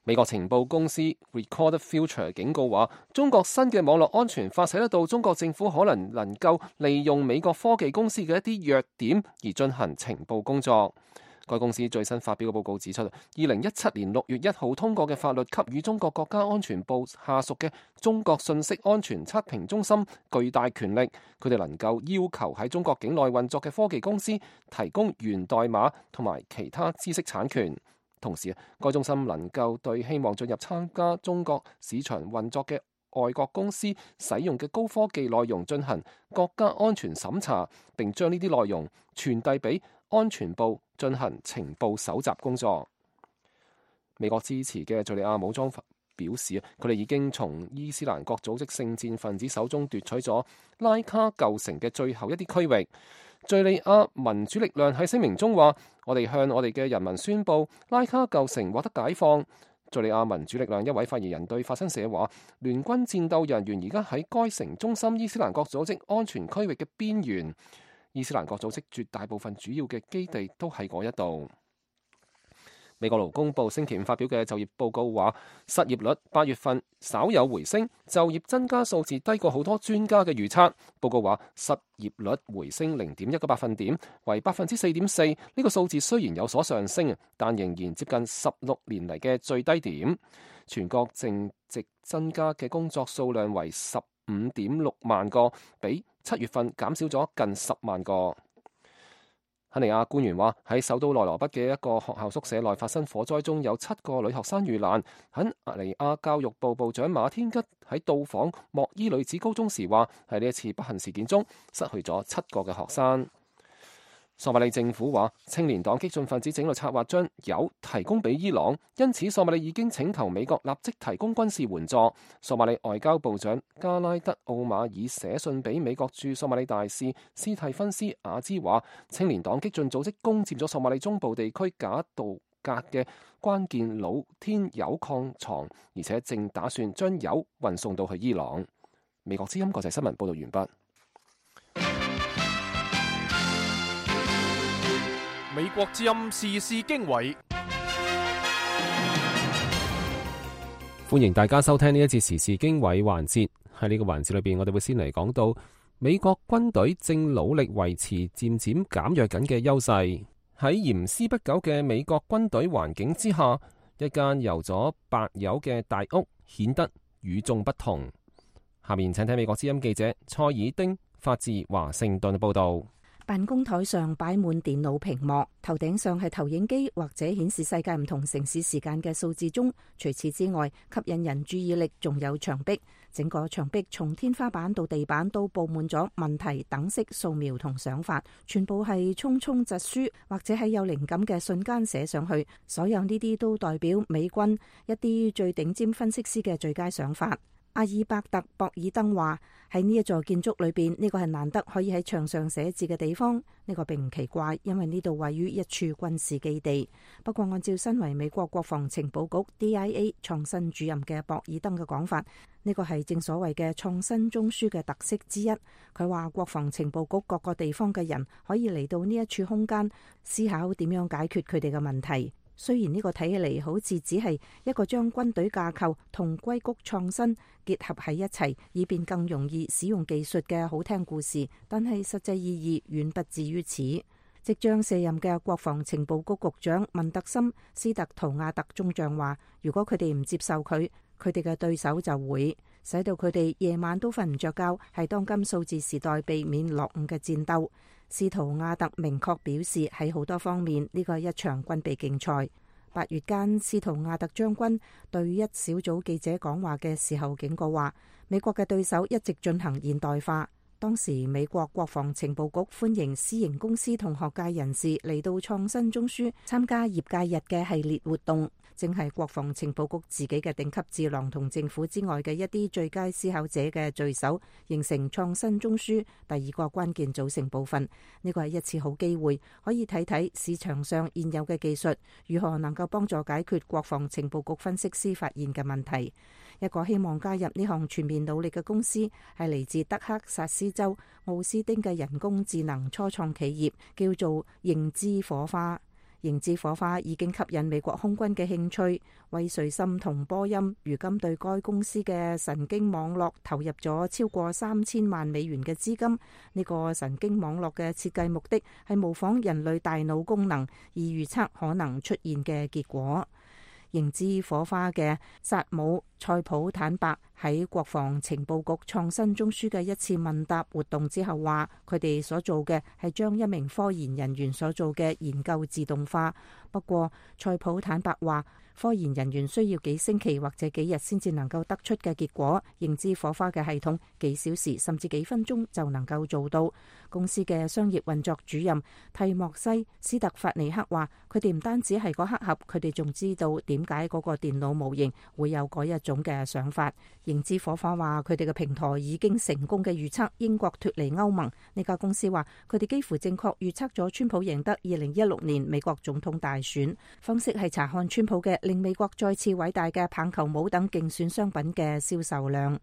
Speaker 3: 美國情報公司 Recorded Future 警告話，中國新嘅網絡安全法使得到中國政府可能能夠利用美國科技公司嘅一啲弱點而進行情報工作。該公司最新發表嘅報告指出，二零一七年六月一號通過嘅法律給予中國國家安全部下屬嘅中國信息安全測評中心巨大權力，佢哋能夠要求喺中國境內運作嘅科技公司提供源代碼同埋其他知識產權。同時，該中心能夠對希望進入參加中國市場運作嘅外國公司使用嘅高科技內容進行國家安全審查，並將呢啲內容傳遞俾安全部進行情報搜集工作。美國支持嘅敘利亞武裝表示，佢哋已經從伊斯蘭國組織聖戰分子手中奪取咗拉卡舊城嘅最後一啲區域。敘利亞民主力量喺聲明中話，我哋向我哋嘅人民宣佈，拉卡舊城獲得解放。敘利亞民主力量一位發言人對法新社話，聯軍戰鬥人員而家喺該城中心伊斯蘭國組織安全區域嘅邊緣，伊斯蘭國組織絕大部分主要嘅基地都喺嗰一度。美國勞工部星期五發表嘅就業報告話，失業率八月份稍有回升，就業增加數字低過好多專家嘅預測。報告話，失業率回升零點一個百分點，為百分之四點四。呢個數字雖然有所上升，但仍然接近十六年嚟嘅最低點。全國淨值增加嘅工作數量為十五點六萬個，比七月份減少咗近十萬個。肯尼亞官員話，喺首都內羅畢嘅一個學校宿舍內發生火災中，有七個女學生遇難。肯尼亞教育部部長馬天吉喺到訪莫伊女子高中時話，喺呢一次不幸事件中失去咗七個嘅學生。索馬里政府話，青年黨激進分子整路策劃將鈾提供俾伊朗，因此索馬里已經請求美國立即提供軍事援助。索馬里外交部長加拉德奧馬爾寫信俾美國駐索馬里大使斯蒂芬斯亞茲話，青年黨激進組織攻佔咗索馬里中部地區賈杜格嘅關鍵露天鈾礦床，而且正打算將鈾運送到去伊朗。美國之音國際新聞報道完畢。
Speaker 2: 美國之音時事經緯，
Speaker 6: 歡迎大家收聽呢一節時事經緯環節。喺呢個環節裏邊，我哋會先嚟講到美國軍隊正努力維持漸漸減弱緊嘅優勢。喺嚴絲不苟嘅美國軍隊環境之下，一間油咗白油嘅大屋顯得與眾不同。下面請睇美國之音記者蔡爾丁發自華盛頓嘅報道。
Speaker 11: 辦公台上擺滿電腦屏幕，頭頂上係投影機或者顯示世界唔同城市時間嘅數字鐘。除此之外，吸引人注意力仲有牆壁。整個牆壁從天花板到地板都佈滿咗問題等式素描同想法，全部係匆匆疾書或者喺有靈感嘅瞬間寫上去。所有呢啲都代表美軍一啲最頂尖分析師嘅最佳想法。阿爾伯特·博爾登話：喺呢一座建築裏邊，呢個係難得可以喺牆上寫字嘅地方。呢個並唔奇怪，因為呢度位於一處軍事基地。不過，按照身為美國國防情報局 D I A 創新主任嘅博爾登嘅講法，呢個係正所謂嘅創新中樞嘅特色之一。佢話國防情報局各個地方嘅人可以嚟到呢一處空間，思考點樣解決佢哋嘅問題。雖然呢個睇起嚟好似只係一個將軍隊架構同硅谷創新結合喺一齊，以便更容易使用技術嘅好聽故事，但係實際意義遠不至於此。即將卸任嘅國防情報局局長文特森·斯特圖亞特中將話，如果佢哋唔接受佢，佢哋嘅對手就會使到佢哋夜晚都瞓唔着覺，係當今數字時代避免落伍嘅戰鬥。斯圖亞特明確表示，喺好多方面呢個係一場軍備競賽。八月間，斯圖亞特將軍對一小組記者講話嘅時候警告話，美國嘅對手一直進行現代化。當時美國國防情報局歡迎私營公司同學界人士嚟到創新中樞參加業界日嘅系列活動，正係國防情報局自己嘅頂級智囊同政府之外嘅一啲最佳思考者嘅聚首，形成創新中樞第二個關鍵組成部分。呢個係一次好機會，可以睇睇市場上現有嘅技術如何能夠幫助解決國防情報局分析師發現嘅問題。一個希望加入呢項全面努力嘅公司係嚟自德克薩斯州奧斯丁嘅人工智能初創企業，叫做認知火花。認知火花已經吸引美國空軍嘅興趣，威瑞森同波音如今對該公司嘅神經網絡投入咗超過三千萬美元嘅資金。呢個神經網絡嘅設計目的係模仿人類大腦功能，而預測可能出現嘅結果。認知火花嘅薩姆塞普坦白喺國防情報局創新中樞嘅一次問答活動之後話，佢哋所做嘅係將一名科研人員所做嘅研究自動化。不過塞普坦白話，科研人員需要幾星期或者幾日先至能夠得出嘅結果，認知火花嘅系統幾小時甚至幾分鐘就能夠做到。公司嘅商業運作主任蒂莫西斯特法尼克話，佢哋唔單止係個黑盒，佢哋仲知道點解嗰個電腦模型會有嗰一種嘅想法。認知火花話，佢哋嘅平台已經成功嘅預測英國脫離歐盟。呢家公司話，佢哋幾乎正確預測咗川普贏得二零一六年美國總統大選。方式係查看川普嘅令美國再次偉大嘅棒球帽等競選商品嘅銷售量。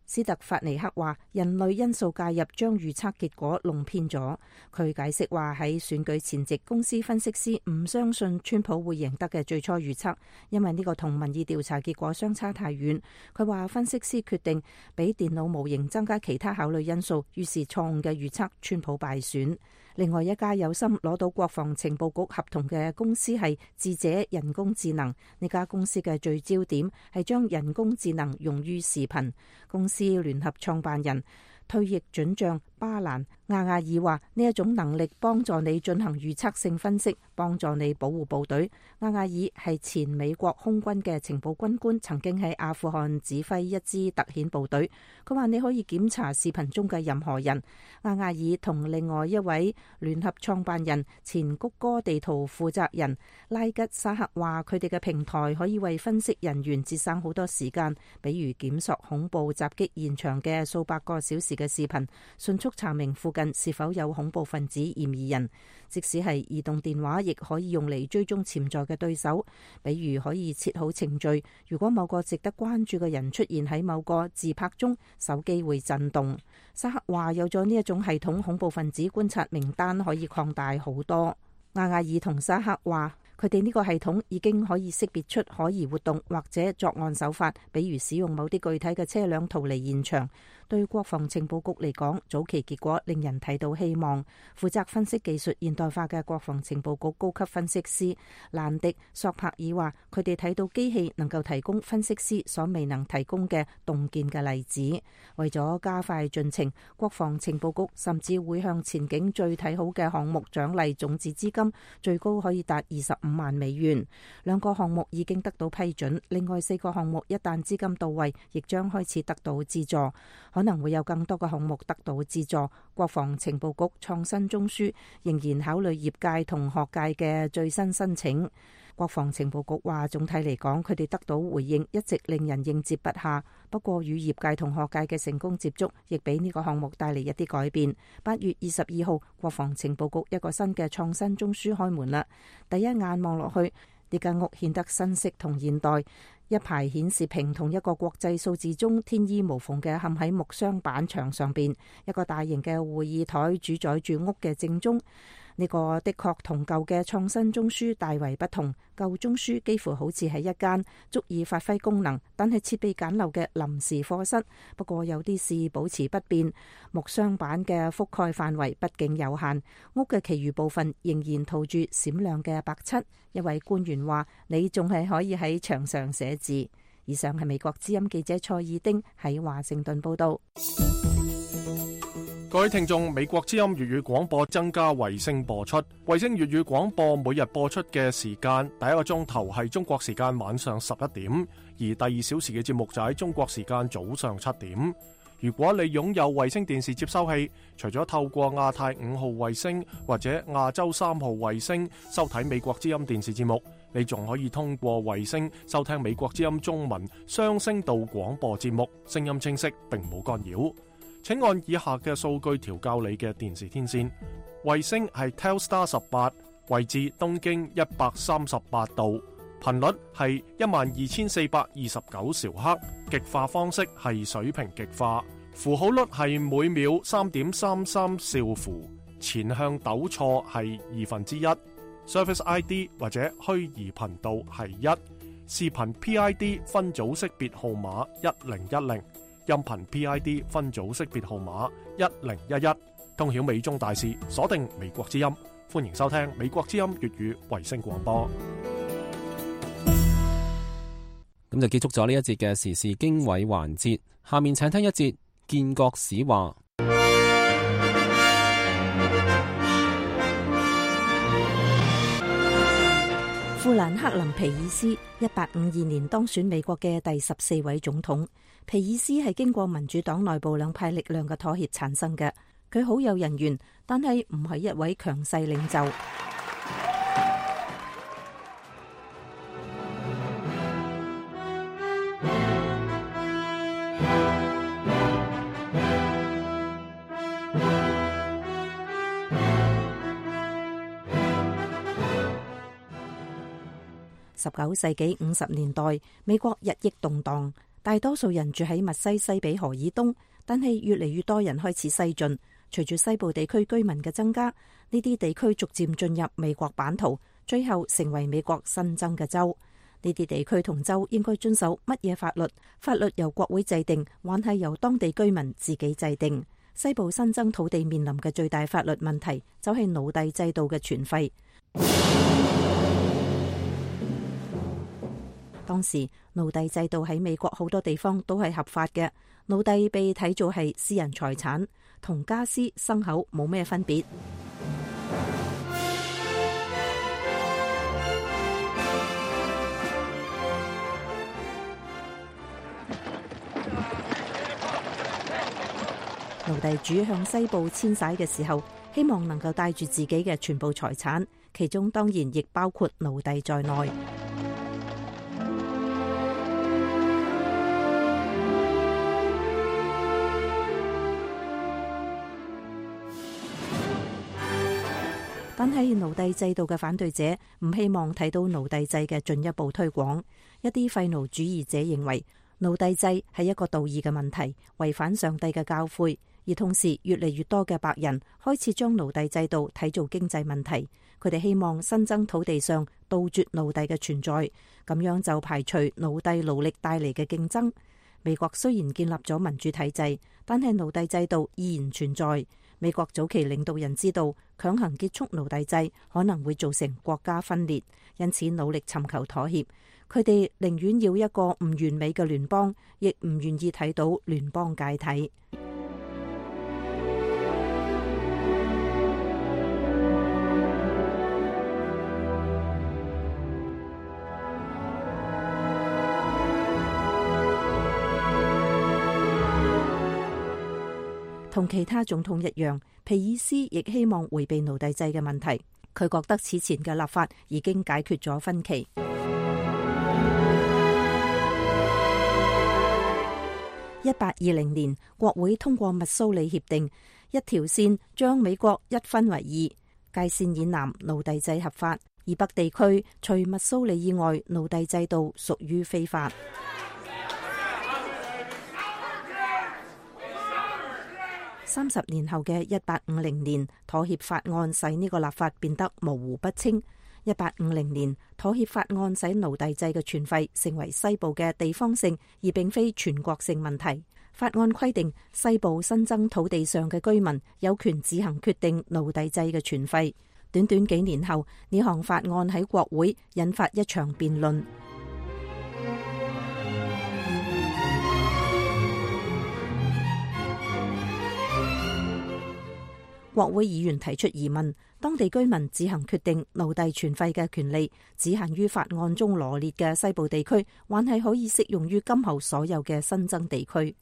Speaker 11: 斯特法尼克話，人類因素介入將預測結果弄偏咗。佢解釋話，喺選舉前夕，公司分析師唔相信川普會贏得嘅最初預測，因為呢個同民意調查結果相差太遠。佢話分析師決定俾電腦模型增加其他考慮因素，於是錯誤嘅預測川普敗選。另外一家有心攞到國防情報局合同嘅公司係智者人工智能。呢家公司嘅聚焦點係將人工智能用於視頻。公司聯合創辦人退役准將巴蘭亞亞爾話呢一種能力幫助你進行預測性分析，幫助你保護部隊。亞亞爾係前美國空軍嘅情報軍官，曾經喺阿富汗指揮一支特遣部隊。佢話你可以檢查視頻中嘅任何人。亞亞爾同另外一位聯合創辦人、前谷歌地圖負責人拉吉沙克話，佢哋嘅平台可以為分析人員節省好多時間，比如檢索恐怖襲擊現場嘅數百個小時嘅視頻，迅速查明附近是否有恐怖分子嫌疑人。即使係移動電話，亦可以用嚟追蹤潛在嘅對手，比如可以設好程序，如果某個值得關注嘅人出現喺某個自拍中，手機會震動。沙克話有咗呢一種系統，恐怖分子觀察名單可以擴大好多。亞亞爾同沙克話，佢哋呢個系統已經可以識別出可疑活動或者作案手法，比如使用某啲具體嘅車輛逃離現場。對國防情報局嚟講，早期結果令人睇到希望。負責分析技術現代化嘅國防情報局高級分析師蘭迪索柏爾話，佢哋睇到機器能夠提供分析師所未能提供嘅洞見嘅例子。為咗加快進程，國防情報局甚至會向前景最睇好嘅項目獎勵種子資金，最高可以達二十五萬美元。兩個項目已經得到批准，另外四個項目一旦資金到位，亦將開始得到資助。可能會有更多嘅項目得到資助。國防情報局創新中樞仍然考慮業界同學界嘅最新申請。國防情報局話，總體嚟講，佢哋得到回應一直令人應接不暇。不過與業界同學界嘅成功接觸，亦俾呢個項目帶嚟一啲改變。八月二十二號，國防情報局一個新嘅創新中樞開門啦。第一眼望落去，呢間屋顯得新式同現代。一排顯示屏同一個國際數字鐘天衣無縫嘅嵌喺木箱板牆上邊，一個大型嘅會議台主宰住屋嘅正中。呢個的確同舊嘅創新中樞大為不同。舊中樞幾乎好似係一間足以發揮功能，但係設備簡陋嘅臨時課室。不過有啲事保持不變，木箱板嘅覆蓋範圍畢竟有限，屋嘅其餘部分仍然塗住閃亮嘅白漆。一位官員話：你仲係可以喺牆上寫字。以上係美國之音記者蔡爾丁喺華盛頓報道。
Speaker 2: 各位聽眾，美國之音粵語廣播增加衛星播出。衛星粵語廣播每日播出嘅時間，第一個鐘頭係中國時間晚上十一點，而第二小時嘅節目就喺中國時間早上七點。如果你擁有衛星電視接收器，除咗透過亞太五號衛星或者亞洲三號衛星收睇美國之音電視節目，你仲可以通過衛星收聽美國之音中文雙聲道廣播節目，聲音清晰並冇干擾。請按以下嘅數據調校你嘅電視天線。衛星係 Telstar 十八，位置東經一百三十八度，頻率係一萬二千四百二十九兆赫，極化方式係水平極化，符號率係每秒三點三三兆符，前向抖錯係二分之一，Service I D 或者虛擬頻道係一，視頻 P I D 分組識別號碼一零一零。音頻 P I D 分組識別號碼一零一一，通曉美中大事，鎖定美國之音，歡迎收聽美國之音粵語衛星廣播。
Speaker 6: 咁就結束咗呢一節嘅時事經緯環節，下面請聽一節建國史話。
Speaker 11: 富蘭克林皮爾斯一八五二年當選美國嘅第十四位總統。皮爾斯係經過民主黨內部兩派力量嘅妥協產生嘅。佢好有人緣，但係唔係一位強勢領袖。十九世紀五十年代，美國日益動盪，大多數人住喺密西西比河以東，但係越嚟越多人開始西進。隨住西部地區居民嘅增加，呢啲地區逐漸進入美國版圖，最後成為美國新增嘅州。呢啲地區同州應該遵守乜嘢法律？法律由國會制定，還係由當地居民自己制定？西部新增土地面臨嘅最大法律問題，就係奴隸制度嘅存廢。當時奴隸制度喺美國好多地方都係合法嘅，奴隸被睇做係私人財產。同家私牲口冇咩分別。奴隸主向西部遷徙嘅時候，希望能夠帶住自己嘅全部財產，其中當然亦包括奴隸在內。但係奴隸制度嘅反對者唔希望睇到奴隸制嘅進一步推廣。一啲廢奴主義者認為奴隸制係一個道義嘅問題，違反上帝嘅教誨。而同時，越嚟越多嘅白人開始將奴隸制度睇做經濟問題。佢哋希望新增土地上杜絕奴隸嘅存在，咁樣就排除奴隸勞力帶嚟嘅競爭。美國雖然建立咗民主體制，但係奴隸制度依然存在。美國早期領導人知道強行結束奴隸制可能會造成國家分裂，因此努力尋求妥協。佢哋寧願要一個唔完美嘅聯邦，亦唔願意睇到聯邦解體。同其他總統一樣，皮爾斯亦希望迴避奴隸制嘅問題。佢覺得此前嘅立法已經解決咗分歧。一八二零年，國會通過密蘇里協定，一條線將美國一分為二，界線以南奴隸制合法，而北地區除密蘇里以外，奴隸制度屬於非法。三十年後嘅一八五零年，妥協法案使呢個立法變得模糊不清。一八五零年，妥協法案使奴隸制嘅存廢成為西部嘅地方性而並非全國性問題。法案規定，西部新增土地上嘅居民有權自行決定奴隸制嘅存廢。短短幾年後，呢項法案喺國會引發一場辯論。國會議員提出疑問：當地居民自行決定奴隸存廢嘅權利，只限於法案中羅列嘅西部地區，還係可以適用於今後所有嘅新增地區？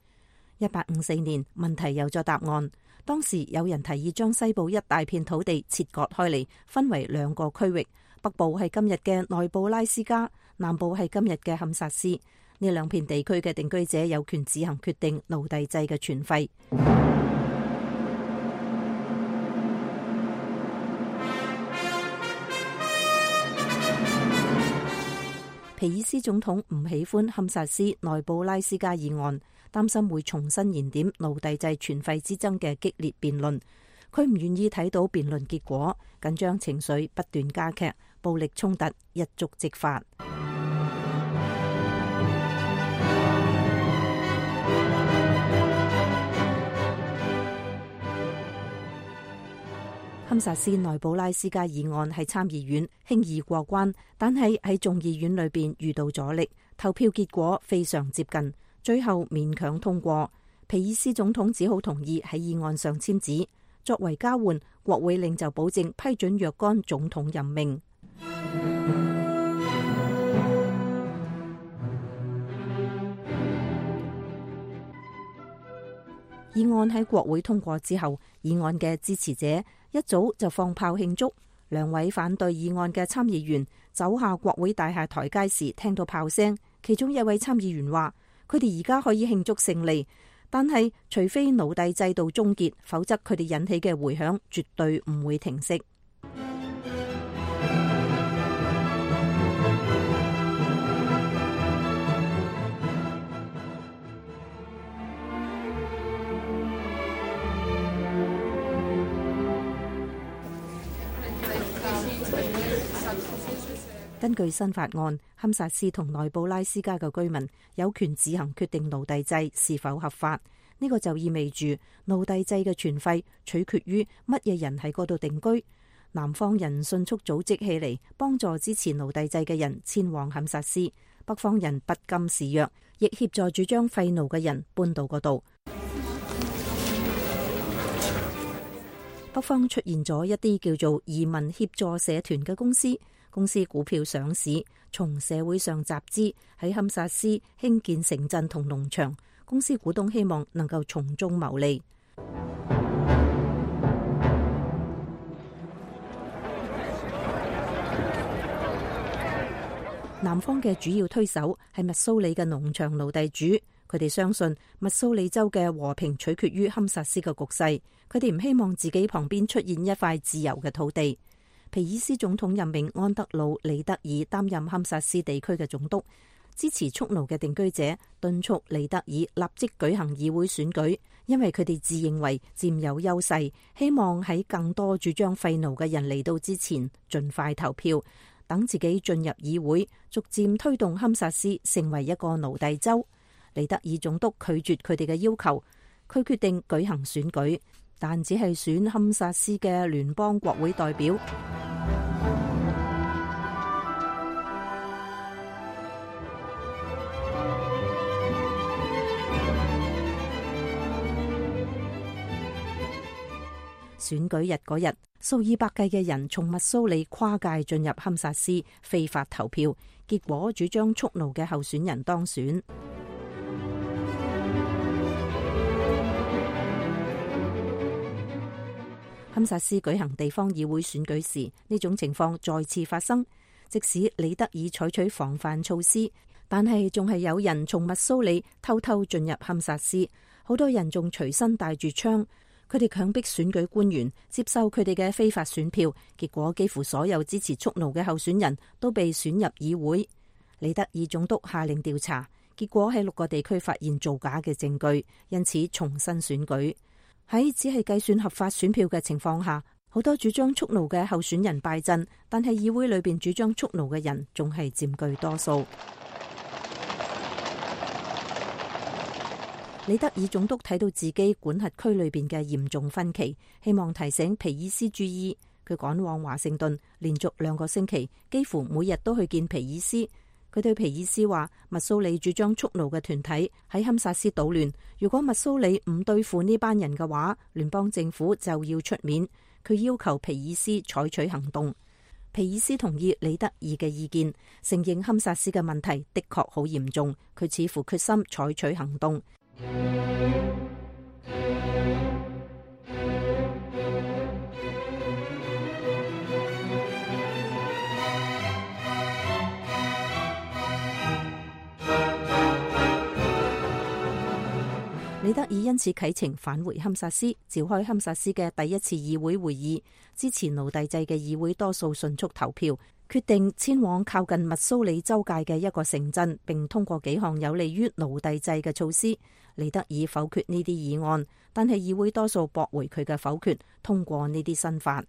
Speaker 11: 一八五四年，問題有咗答案。當時有人提議將西部一大片土地切割開嚟，分為兩個區域，北部係今日嘅內布拉斯加，南部係今日嘅堪薩斯。呢兩片地區嘅定居者有權自行決定奴隸制嘅存廢。皮爾斯總統唔喜歡堪薩斯內布拉斯加議案，擔心會重新燃點奴隸制存廢之爭嘅激烈辯論。佢唔願意睇到辯論結果，緊張情緒不斷加劇，暴力衝突一觸即發。堪薩斯內布拉斯加議案喺參議院輕易過關，但係喺眾議院裏邊遇到阻力，投票結果非常接近，最後勉強通過。皮爾斯總統只好同意喺議案上簽字，作為交換，國會領袖保證批准若干總統任命。議案喺國會通過之後，議案嘅支持者一早就放炮慶祝。兩位反對議案嘅參議員走下國會大廈台階時，聽到炮聲。其中一位參議員話：佢哋而家可以慶祝勝利，但係除非奴隸制度終結，否則佢哋引起嘅迴響絕對唔會停息。根據新法案，堪薩斯同內布拉斯加嘅居民有權自行決定奴隸制是否合法。呢個就意味住奴隸制嘅存廢取決於乜嘢人喺嗰度定居。南方人迅速組織起嚟，幫助支持奴隸制嘅人遷往堪薩斯；北方人不甘示弱，亦協助主張廢奴嘅人搬到嗰度。北方出現咗一啲叫做移民協助社團嘅公司，公司股票上市，從社會上集資，喺堪薩斯興建城鎮同農場。公司股東希望能夠從中牟利。南方嘅主要推手係密蘇里嘅農場奴隸主，佢哋相信密蘇里州嘅和平取決於堪薩斯嘅局勢，佢哋唔希望自己旁邊出現一塊自由嘅土地。皮爾斯總統任命安德魯·里德爾擔任堪薩斯地區嘅總督，支持蓄奴嘅定居者敦促里德爾立即舉行議會選舉，因為佢哋自認為佔有優勢，希望喺更多主張廢奴嘅人嚟到之前盡快投票，等自己進入議會，逐漸推動堪薩斯成為一個奴隸州。里德爾總督拒絕佢哋嘅要求，佢決定舉行選舉，但只係選堪薩斯嘅聯邦國會代表。選舉日嗰日，數以百計嘅人從密蘇里跨界進入堪薩斯非法投票，結果主張蓄奴嘅候選人當選。堪薩斯舉行地方議會選舉時，呢種情況再次發生。即使里德爾採取防範措施，但係仲係有人從密蘇里偷偷進入堪薩斯，好多人仲隨身帶住槍。佢哋強迫選舉官員接受佢哋嘅非法選票，結果幾乎所有支持蓄奴嘅候選人都被選入議會。里德爾總督下令調查，結果喺六個地區發現造假嘅證據，因此重新選舉。喺只係計算合法選票嘅情況下，好多主張蓄奴嘅候選人敗陣，但係議會裏邊主張蓄奴嘅人仲係佔據多數。里德爾總督睇到自己管轄區裏邊嘅嚴重分歧，希望提醒皮爾斯注意。佢趕往華盛頓，連續兩個星期幾乎每日都去見皮爾斯。佢對皮爾斯話：密蘇里主張蓄奴嘅團體喺堪薩斯搗亂，如果密蘇里唔對付呢班人嘅話，聯邦政府就要出面。佢要求皮爾斯採取行動。皮爾斯同意里德爾嘅意見，承認堪薩斯嘅問題的確好嚴重。佢似乎決心採取行動。里德爾因此啟程返回堪薩斯，召開堪薩斯嘅第一次議會會議，支持奴隸制嘅議會多數迅速投票，決定遷往靠近密蘇里州界嘅一個城鎮，並通過幾項有利於奴隸制嘅措施。里德爾否決呢啲議案，但係議會多數駁回佢嘅否決，通過呢啲新法。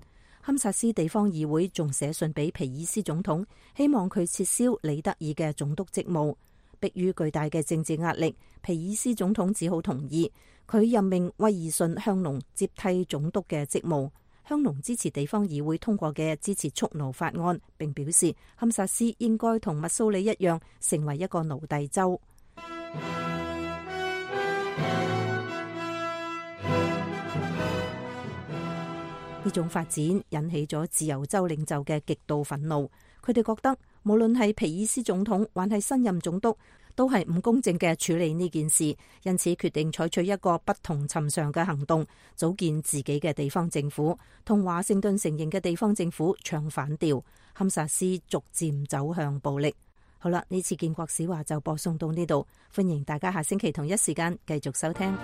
Speaker 11: 堪薩斯地方議會仲寫信俾皮爾斯總統，希望佢撤銷里德爾嘅總督職務。迫於巨大嘅政治壓力，皮爾斯總統只好同意。佢任命威爾遜香農接替總督嘅職務。香農支持地方議會通過嘅支持蓄奴法案，並表示堪薩斯應該同密蘇里一樣成為一個奴隸州。呢種發展引起咗自由州領袖嘅極度憤怒，佢哋覺得無論係皮爾斯總統還係新任總督，都係唔公正嘅處理呢件事，因此決定採取一個不同尋常嘅行動，組建自己嘅地方政府，同華盛頓承認嘅地方政府唱反調。堪薩斯逐漸走向暴力。好啦，呢次建國史話就播送到呢度，歡迎大家下星期同一時間繼續收聽。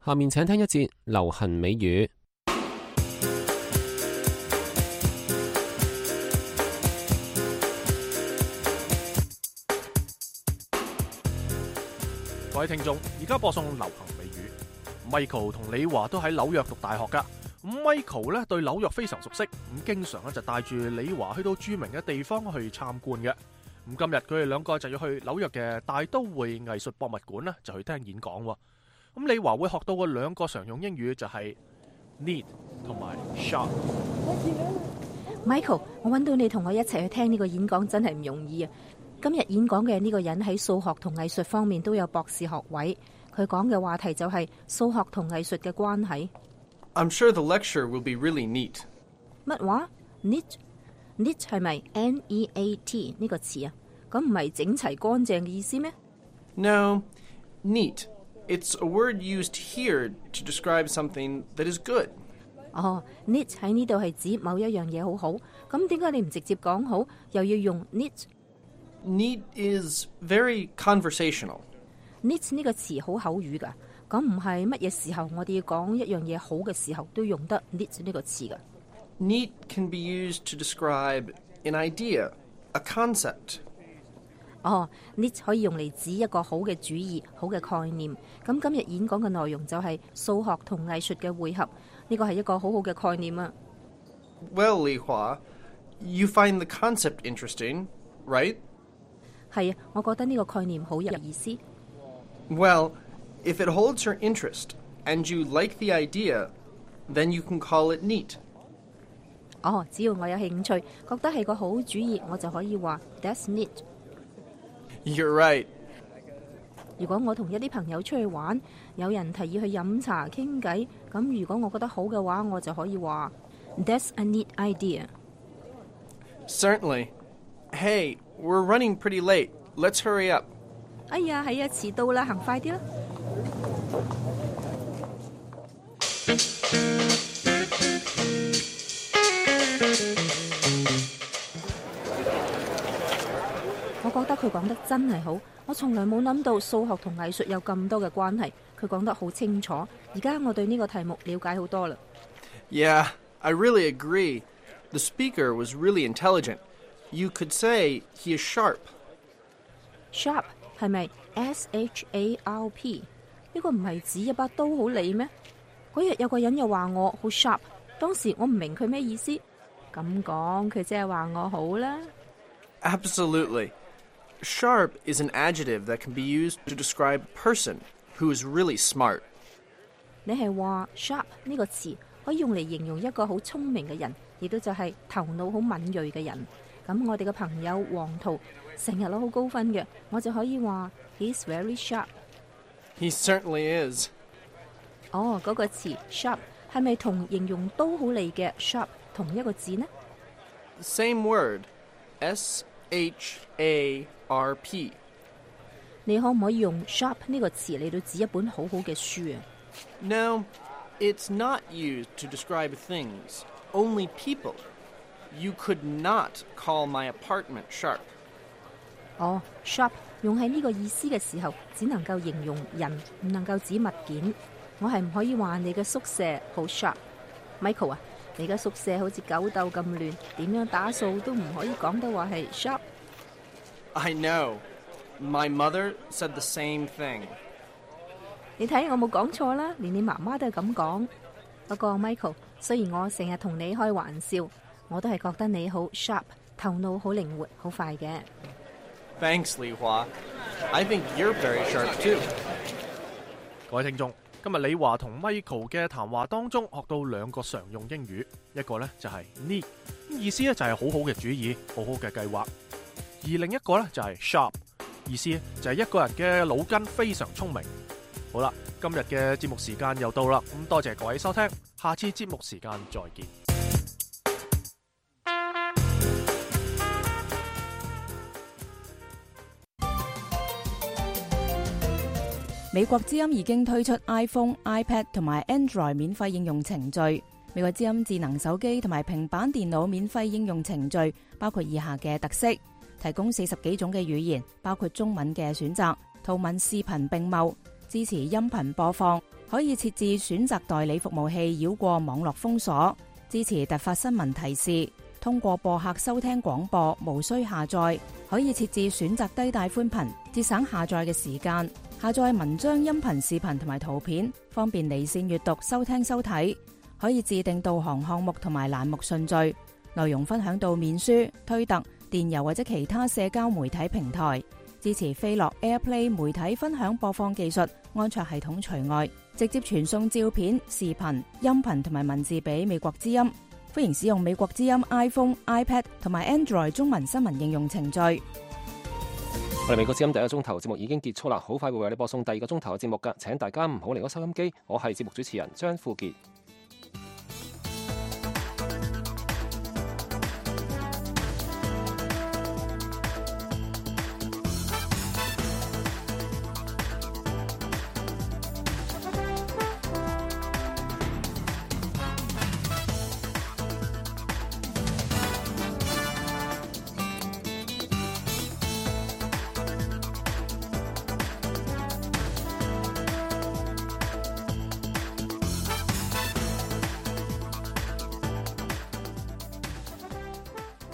Speaker 6: 下面請聽一節流行美語。
Speaker 2: 各位聽眾，而家播送流行美語。Michael 同李華都喺紐約讀大學噶。咁 Michael 咧對紐約非常熟悉，咁經常咧就帶住李華去到著名嘅地方去參觀嘅。咁今日佢哋兩個就要去紐約嘅大都會藝術博物館咧，就去聽演講。咁李華會學到嘅兩個常用英語就係 need 同埋 sharp。
Speaker 11: Michael，我揾到你同我一齊去聽呢個演講真係唔容易啊！今日演講嘅呢個人喺數學同藝術方面都有博士學位，佢講嘅話題就係數學同藝術嘅關係。
Speaker 12: I'm sure the lecture will be really neat.
Speaker 11: 乜話 ？neat？neat 係咪 N E A T 呢個詞啊？咁唔係整齊乾淨嘅意思咩？
Speaker 12: No, neat. It's a word used here to describe something that is good.
Speaker 11: 哦 ，neat 喺呢度係指某一樣嘢好好，咁點解你唔直接講好，又要用 neat？Neat
Speaker 12: is very conversational.
Speaker 11: neat 呢個詞好口語噶，咁唔係乜嘢時候我哋要講一樣嘢好嘅時候都用得 neat 呢個詞噶。
Speaker 12: Neat can be used to describe an idea, a concept.
Speaker 11: 哦 ，neat 可以用嚟指一個好嘅主意、好嘅概念。咁今日演講嘅內容就係數學同藝術嘅匯合，呢個係一個好好嘅概念啊。
Speaker 12: Well, Li Hua, you find the concept interesting, right?
Speaker 11: 係啊，我覺得呢個概念好有意思。
Speaker 12: Well, if it holds your interest and you like the idea, then you can call it neat.
Speaker 11: 哦，只要我有興趣，覺得係個好主意，我就可以話 That's neat.
Speaker 12: You're right.
Speaker 11: 如果我同一啲朋友出去玩，有人提議去飲茶傾偈，咁如果我覺得好嘅話，我就可以話 That's a neat idea.
Speaker 12: Certainly. Hey, we're running pretty late. Let's hurry up.
Speaker 11: 哎呀，係啊，遲到啦，行快啲啦。我覺得佢講得真係好，我從來冇諗到數學同藝術有咁多嘅關係，佢講得好清楚。而家我對呢個題目了解好多啦。
Speaker 12: Yeah, I really agree. The speaker was really intelligent. You could say he is sharp.
Speaker 11: Sharp 係咪 S H A R P？ 呢個唔係指一把刀好利咩？嗰日有個人又話我好 sharp， 當時我唔明佢咩意思。咁講佢即係話我好啦。
Speaker 12: Absolutely. Sharp is an adjective that can be used to describe a person who is really smart.
Speaker 11: 你係話 sharp 呢個詞可以用嚟形容一個好聰明嘅人，亦都就係頭腦好敏銳嘅人。咁我哋嘅朋友黃圖成日攞好高分嘅，我就可以話 He's very sharp.
Speaker 12: He certainly is.
Speaker 11: 哦，嗰個詞 sharp 係咪同形容刀好利嘅 sharp 同一個字呢？
Speaker 12: Same word. S H A R P.
Speaker 11: 你可唔可以用 sharp 呢個詞嚟到指一本好好嘅書啊？
Speaker 12: No, it's not used to describe things, only people. You could not call my apartment sharp.
Speaker 11: 哦 sharp 用喺呢個意思嘅時候，只能夠形容人，唔能夠指物件。我係唔可以話你嘅宿舍好 sharp。Michael 啊，你嘅宿舍好似狗竇咁亂，點樣打掃都唔可以講得話係 sharp。
Speaker 12: I know. My mother said the same thing.
Speaker 11: 你睇我冇講錯啦，連你媽媽都係咁講。不過 Michael， 雖然我成日同你開玩笑，我都係覺得你好 sharp， 頭腦好靈活，好快嘅。
Speaker 12: Thanks, Li Hua. I think you're very sharp too.
Speaker 2: 各位聽眾，今日李華同 Michael 嘅談話當中學到兩個常用英語，一個呢就係 neat， 意思呢就係好好嘅主意，好好嘅計劃；而另一個呢就係 sharp， 意思就係一個人嘅腦筋非常聰明。好啦，今日嘅節目時間又到啦，咁多謝各位收聽，下次節目時間再見。
Speaker 13: 美國之音已經推出 iPhone、iPad 同埋 Android 免費應用程序。美國之音智能手機同埋平板電腦免費應用程序包括以下嘅特色：提供四十幾種嘅語言，包括中文嘅選擇，圖文視頻並茂，支持音頻播放，可以設置選擇代理服務器繞過網絡封鎖，支持突發新聞提示，通過播客收聽廣播，無需下載，可以設置選擇低帶寬頻，節省下載嘅時間。下載文章、音頻、視頻同埋圖片，方便離線閱讀、收聽收睇。可以自定導航項目同埋欄目順序，內容分享到面書、推特、電郵或者其他社交媒體平台。支持飛樂 AirPlay 媒體分享播放技術，安卓系統除外。直接傳送照片、視頻、音頻同埋文字俾美國之音。歡迎使用美國之音 iPhone、iPad 同埋 Android 中文新聞應用程序。
Speaker 3: 我哋美國之音第一個鐘頭節目已經結束啦，好快會為你播送第二個鐘頭嘅節目㗎，請大家唔好離開收音機。我係節目主持人張富傑。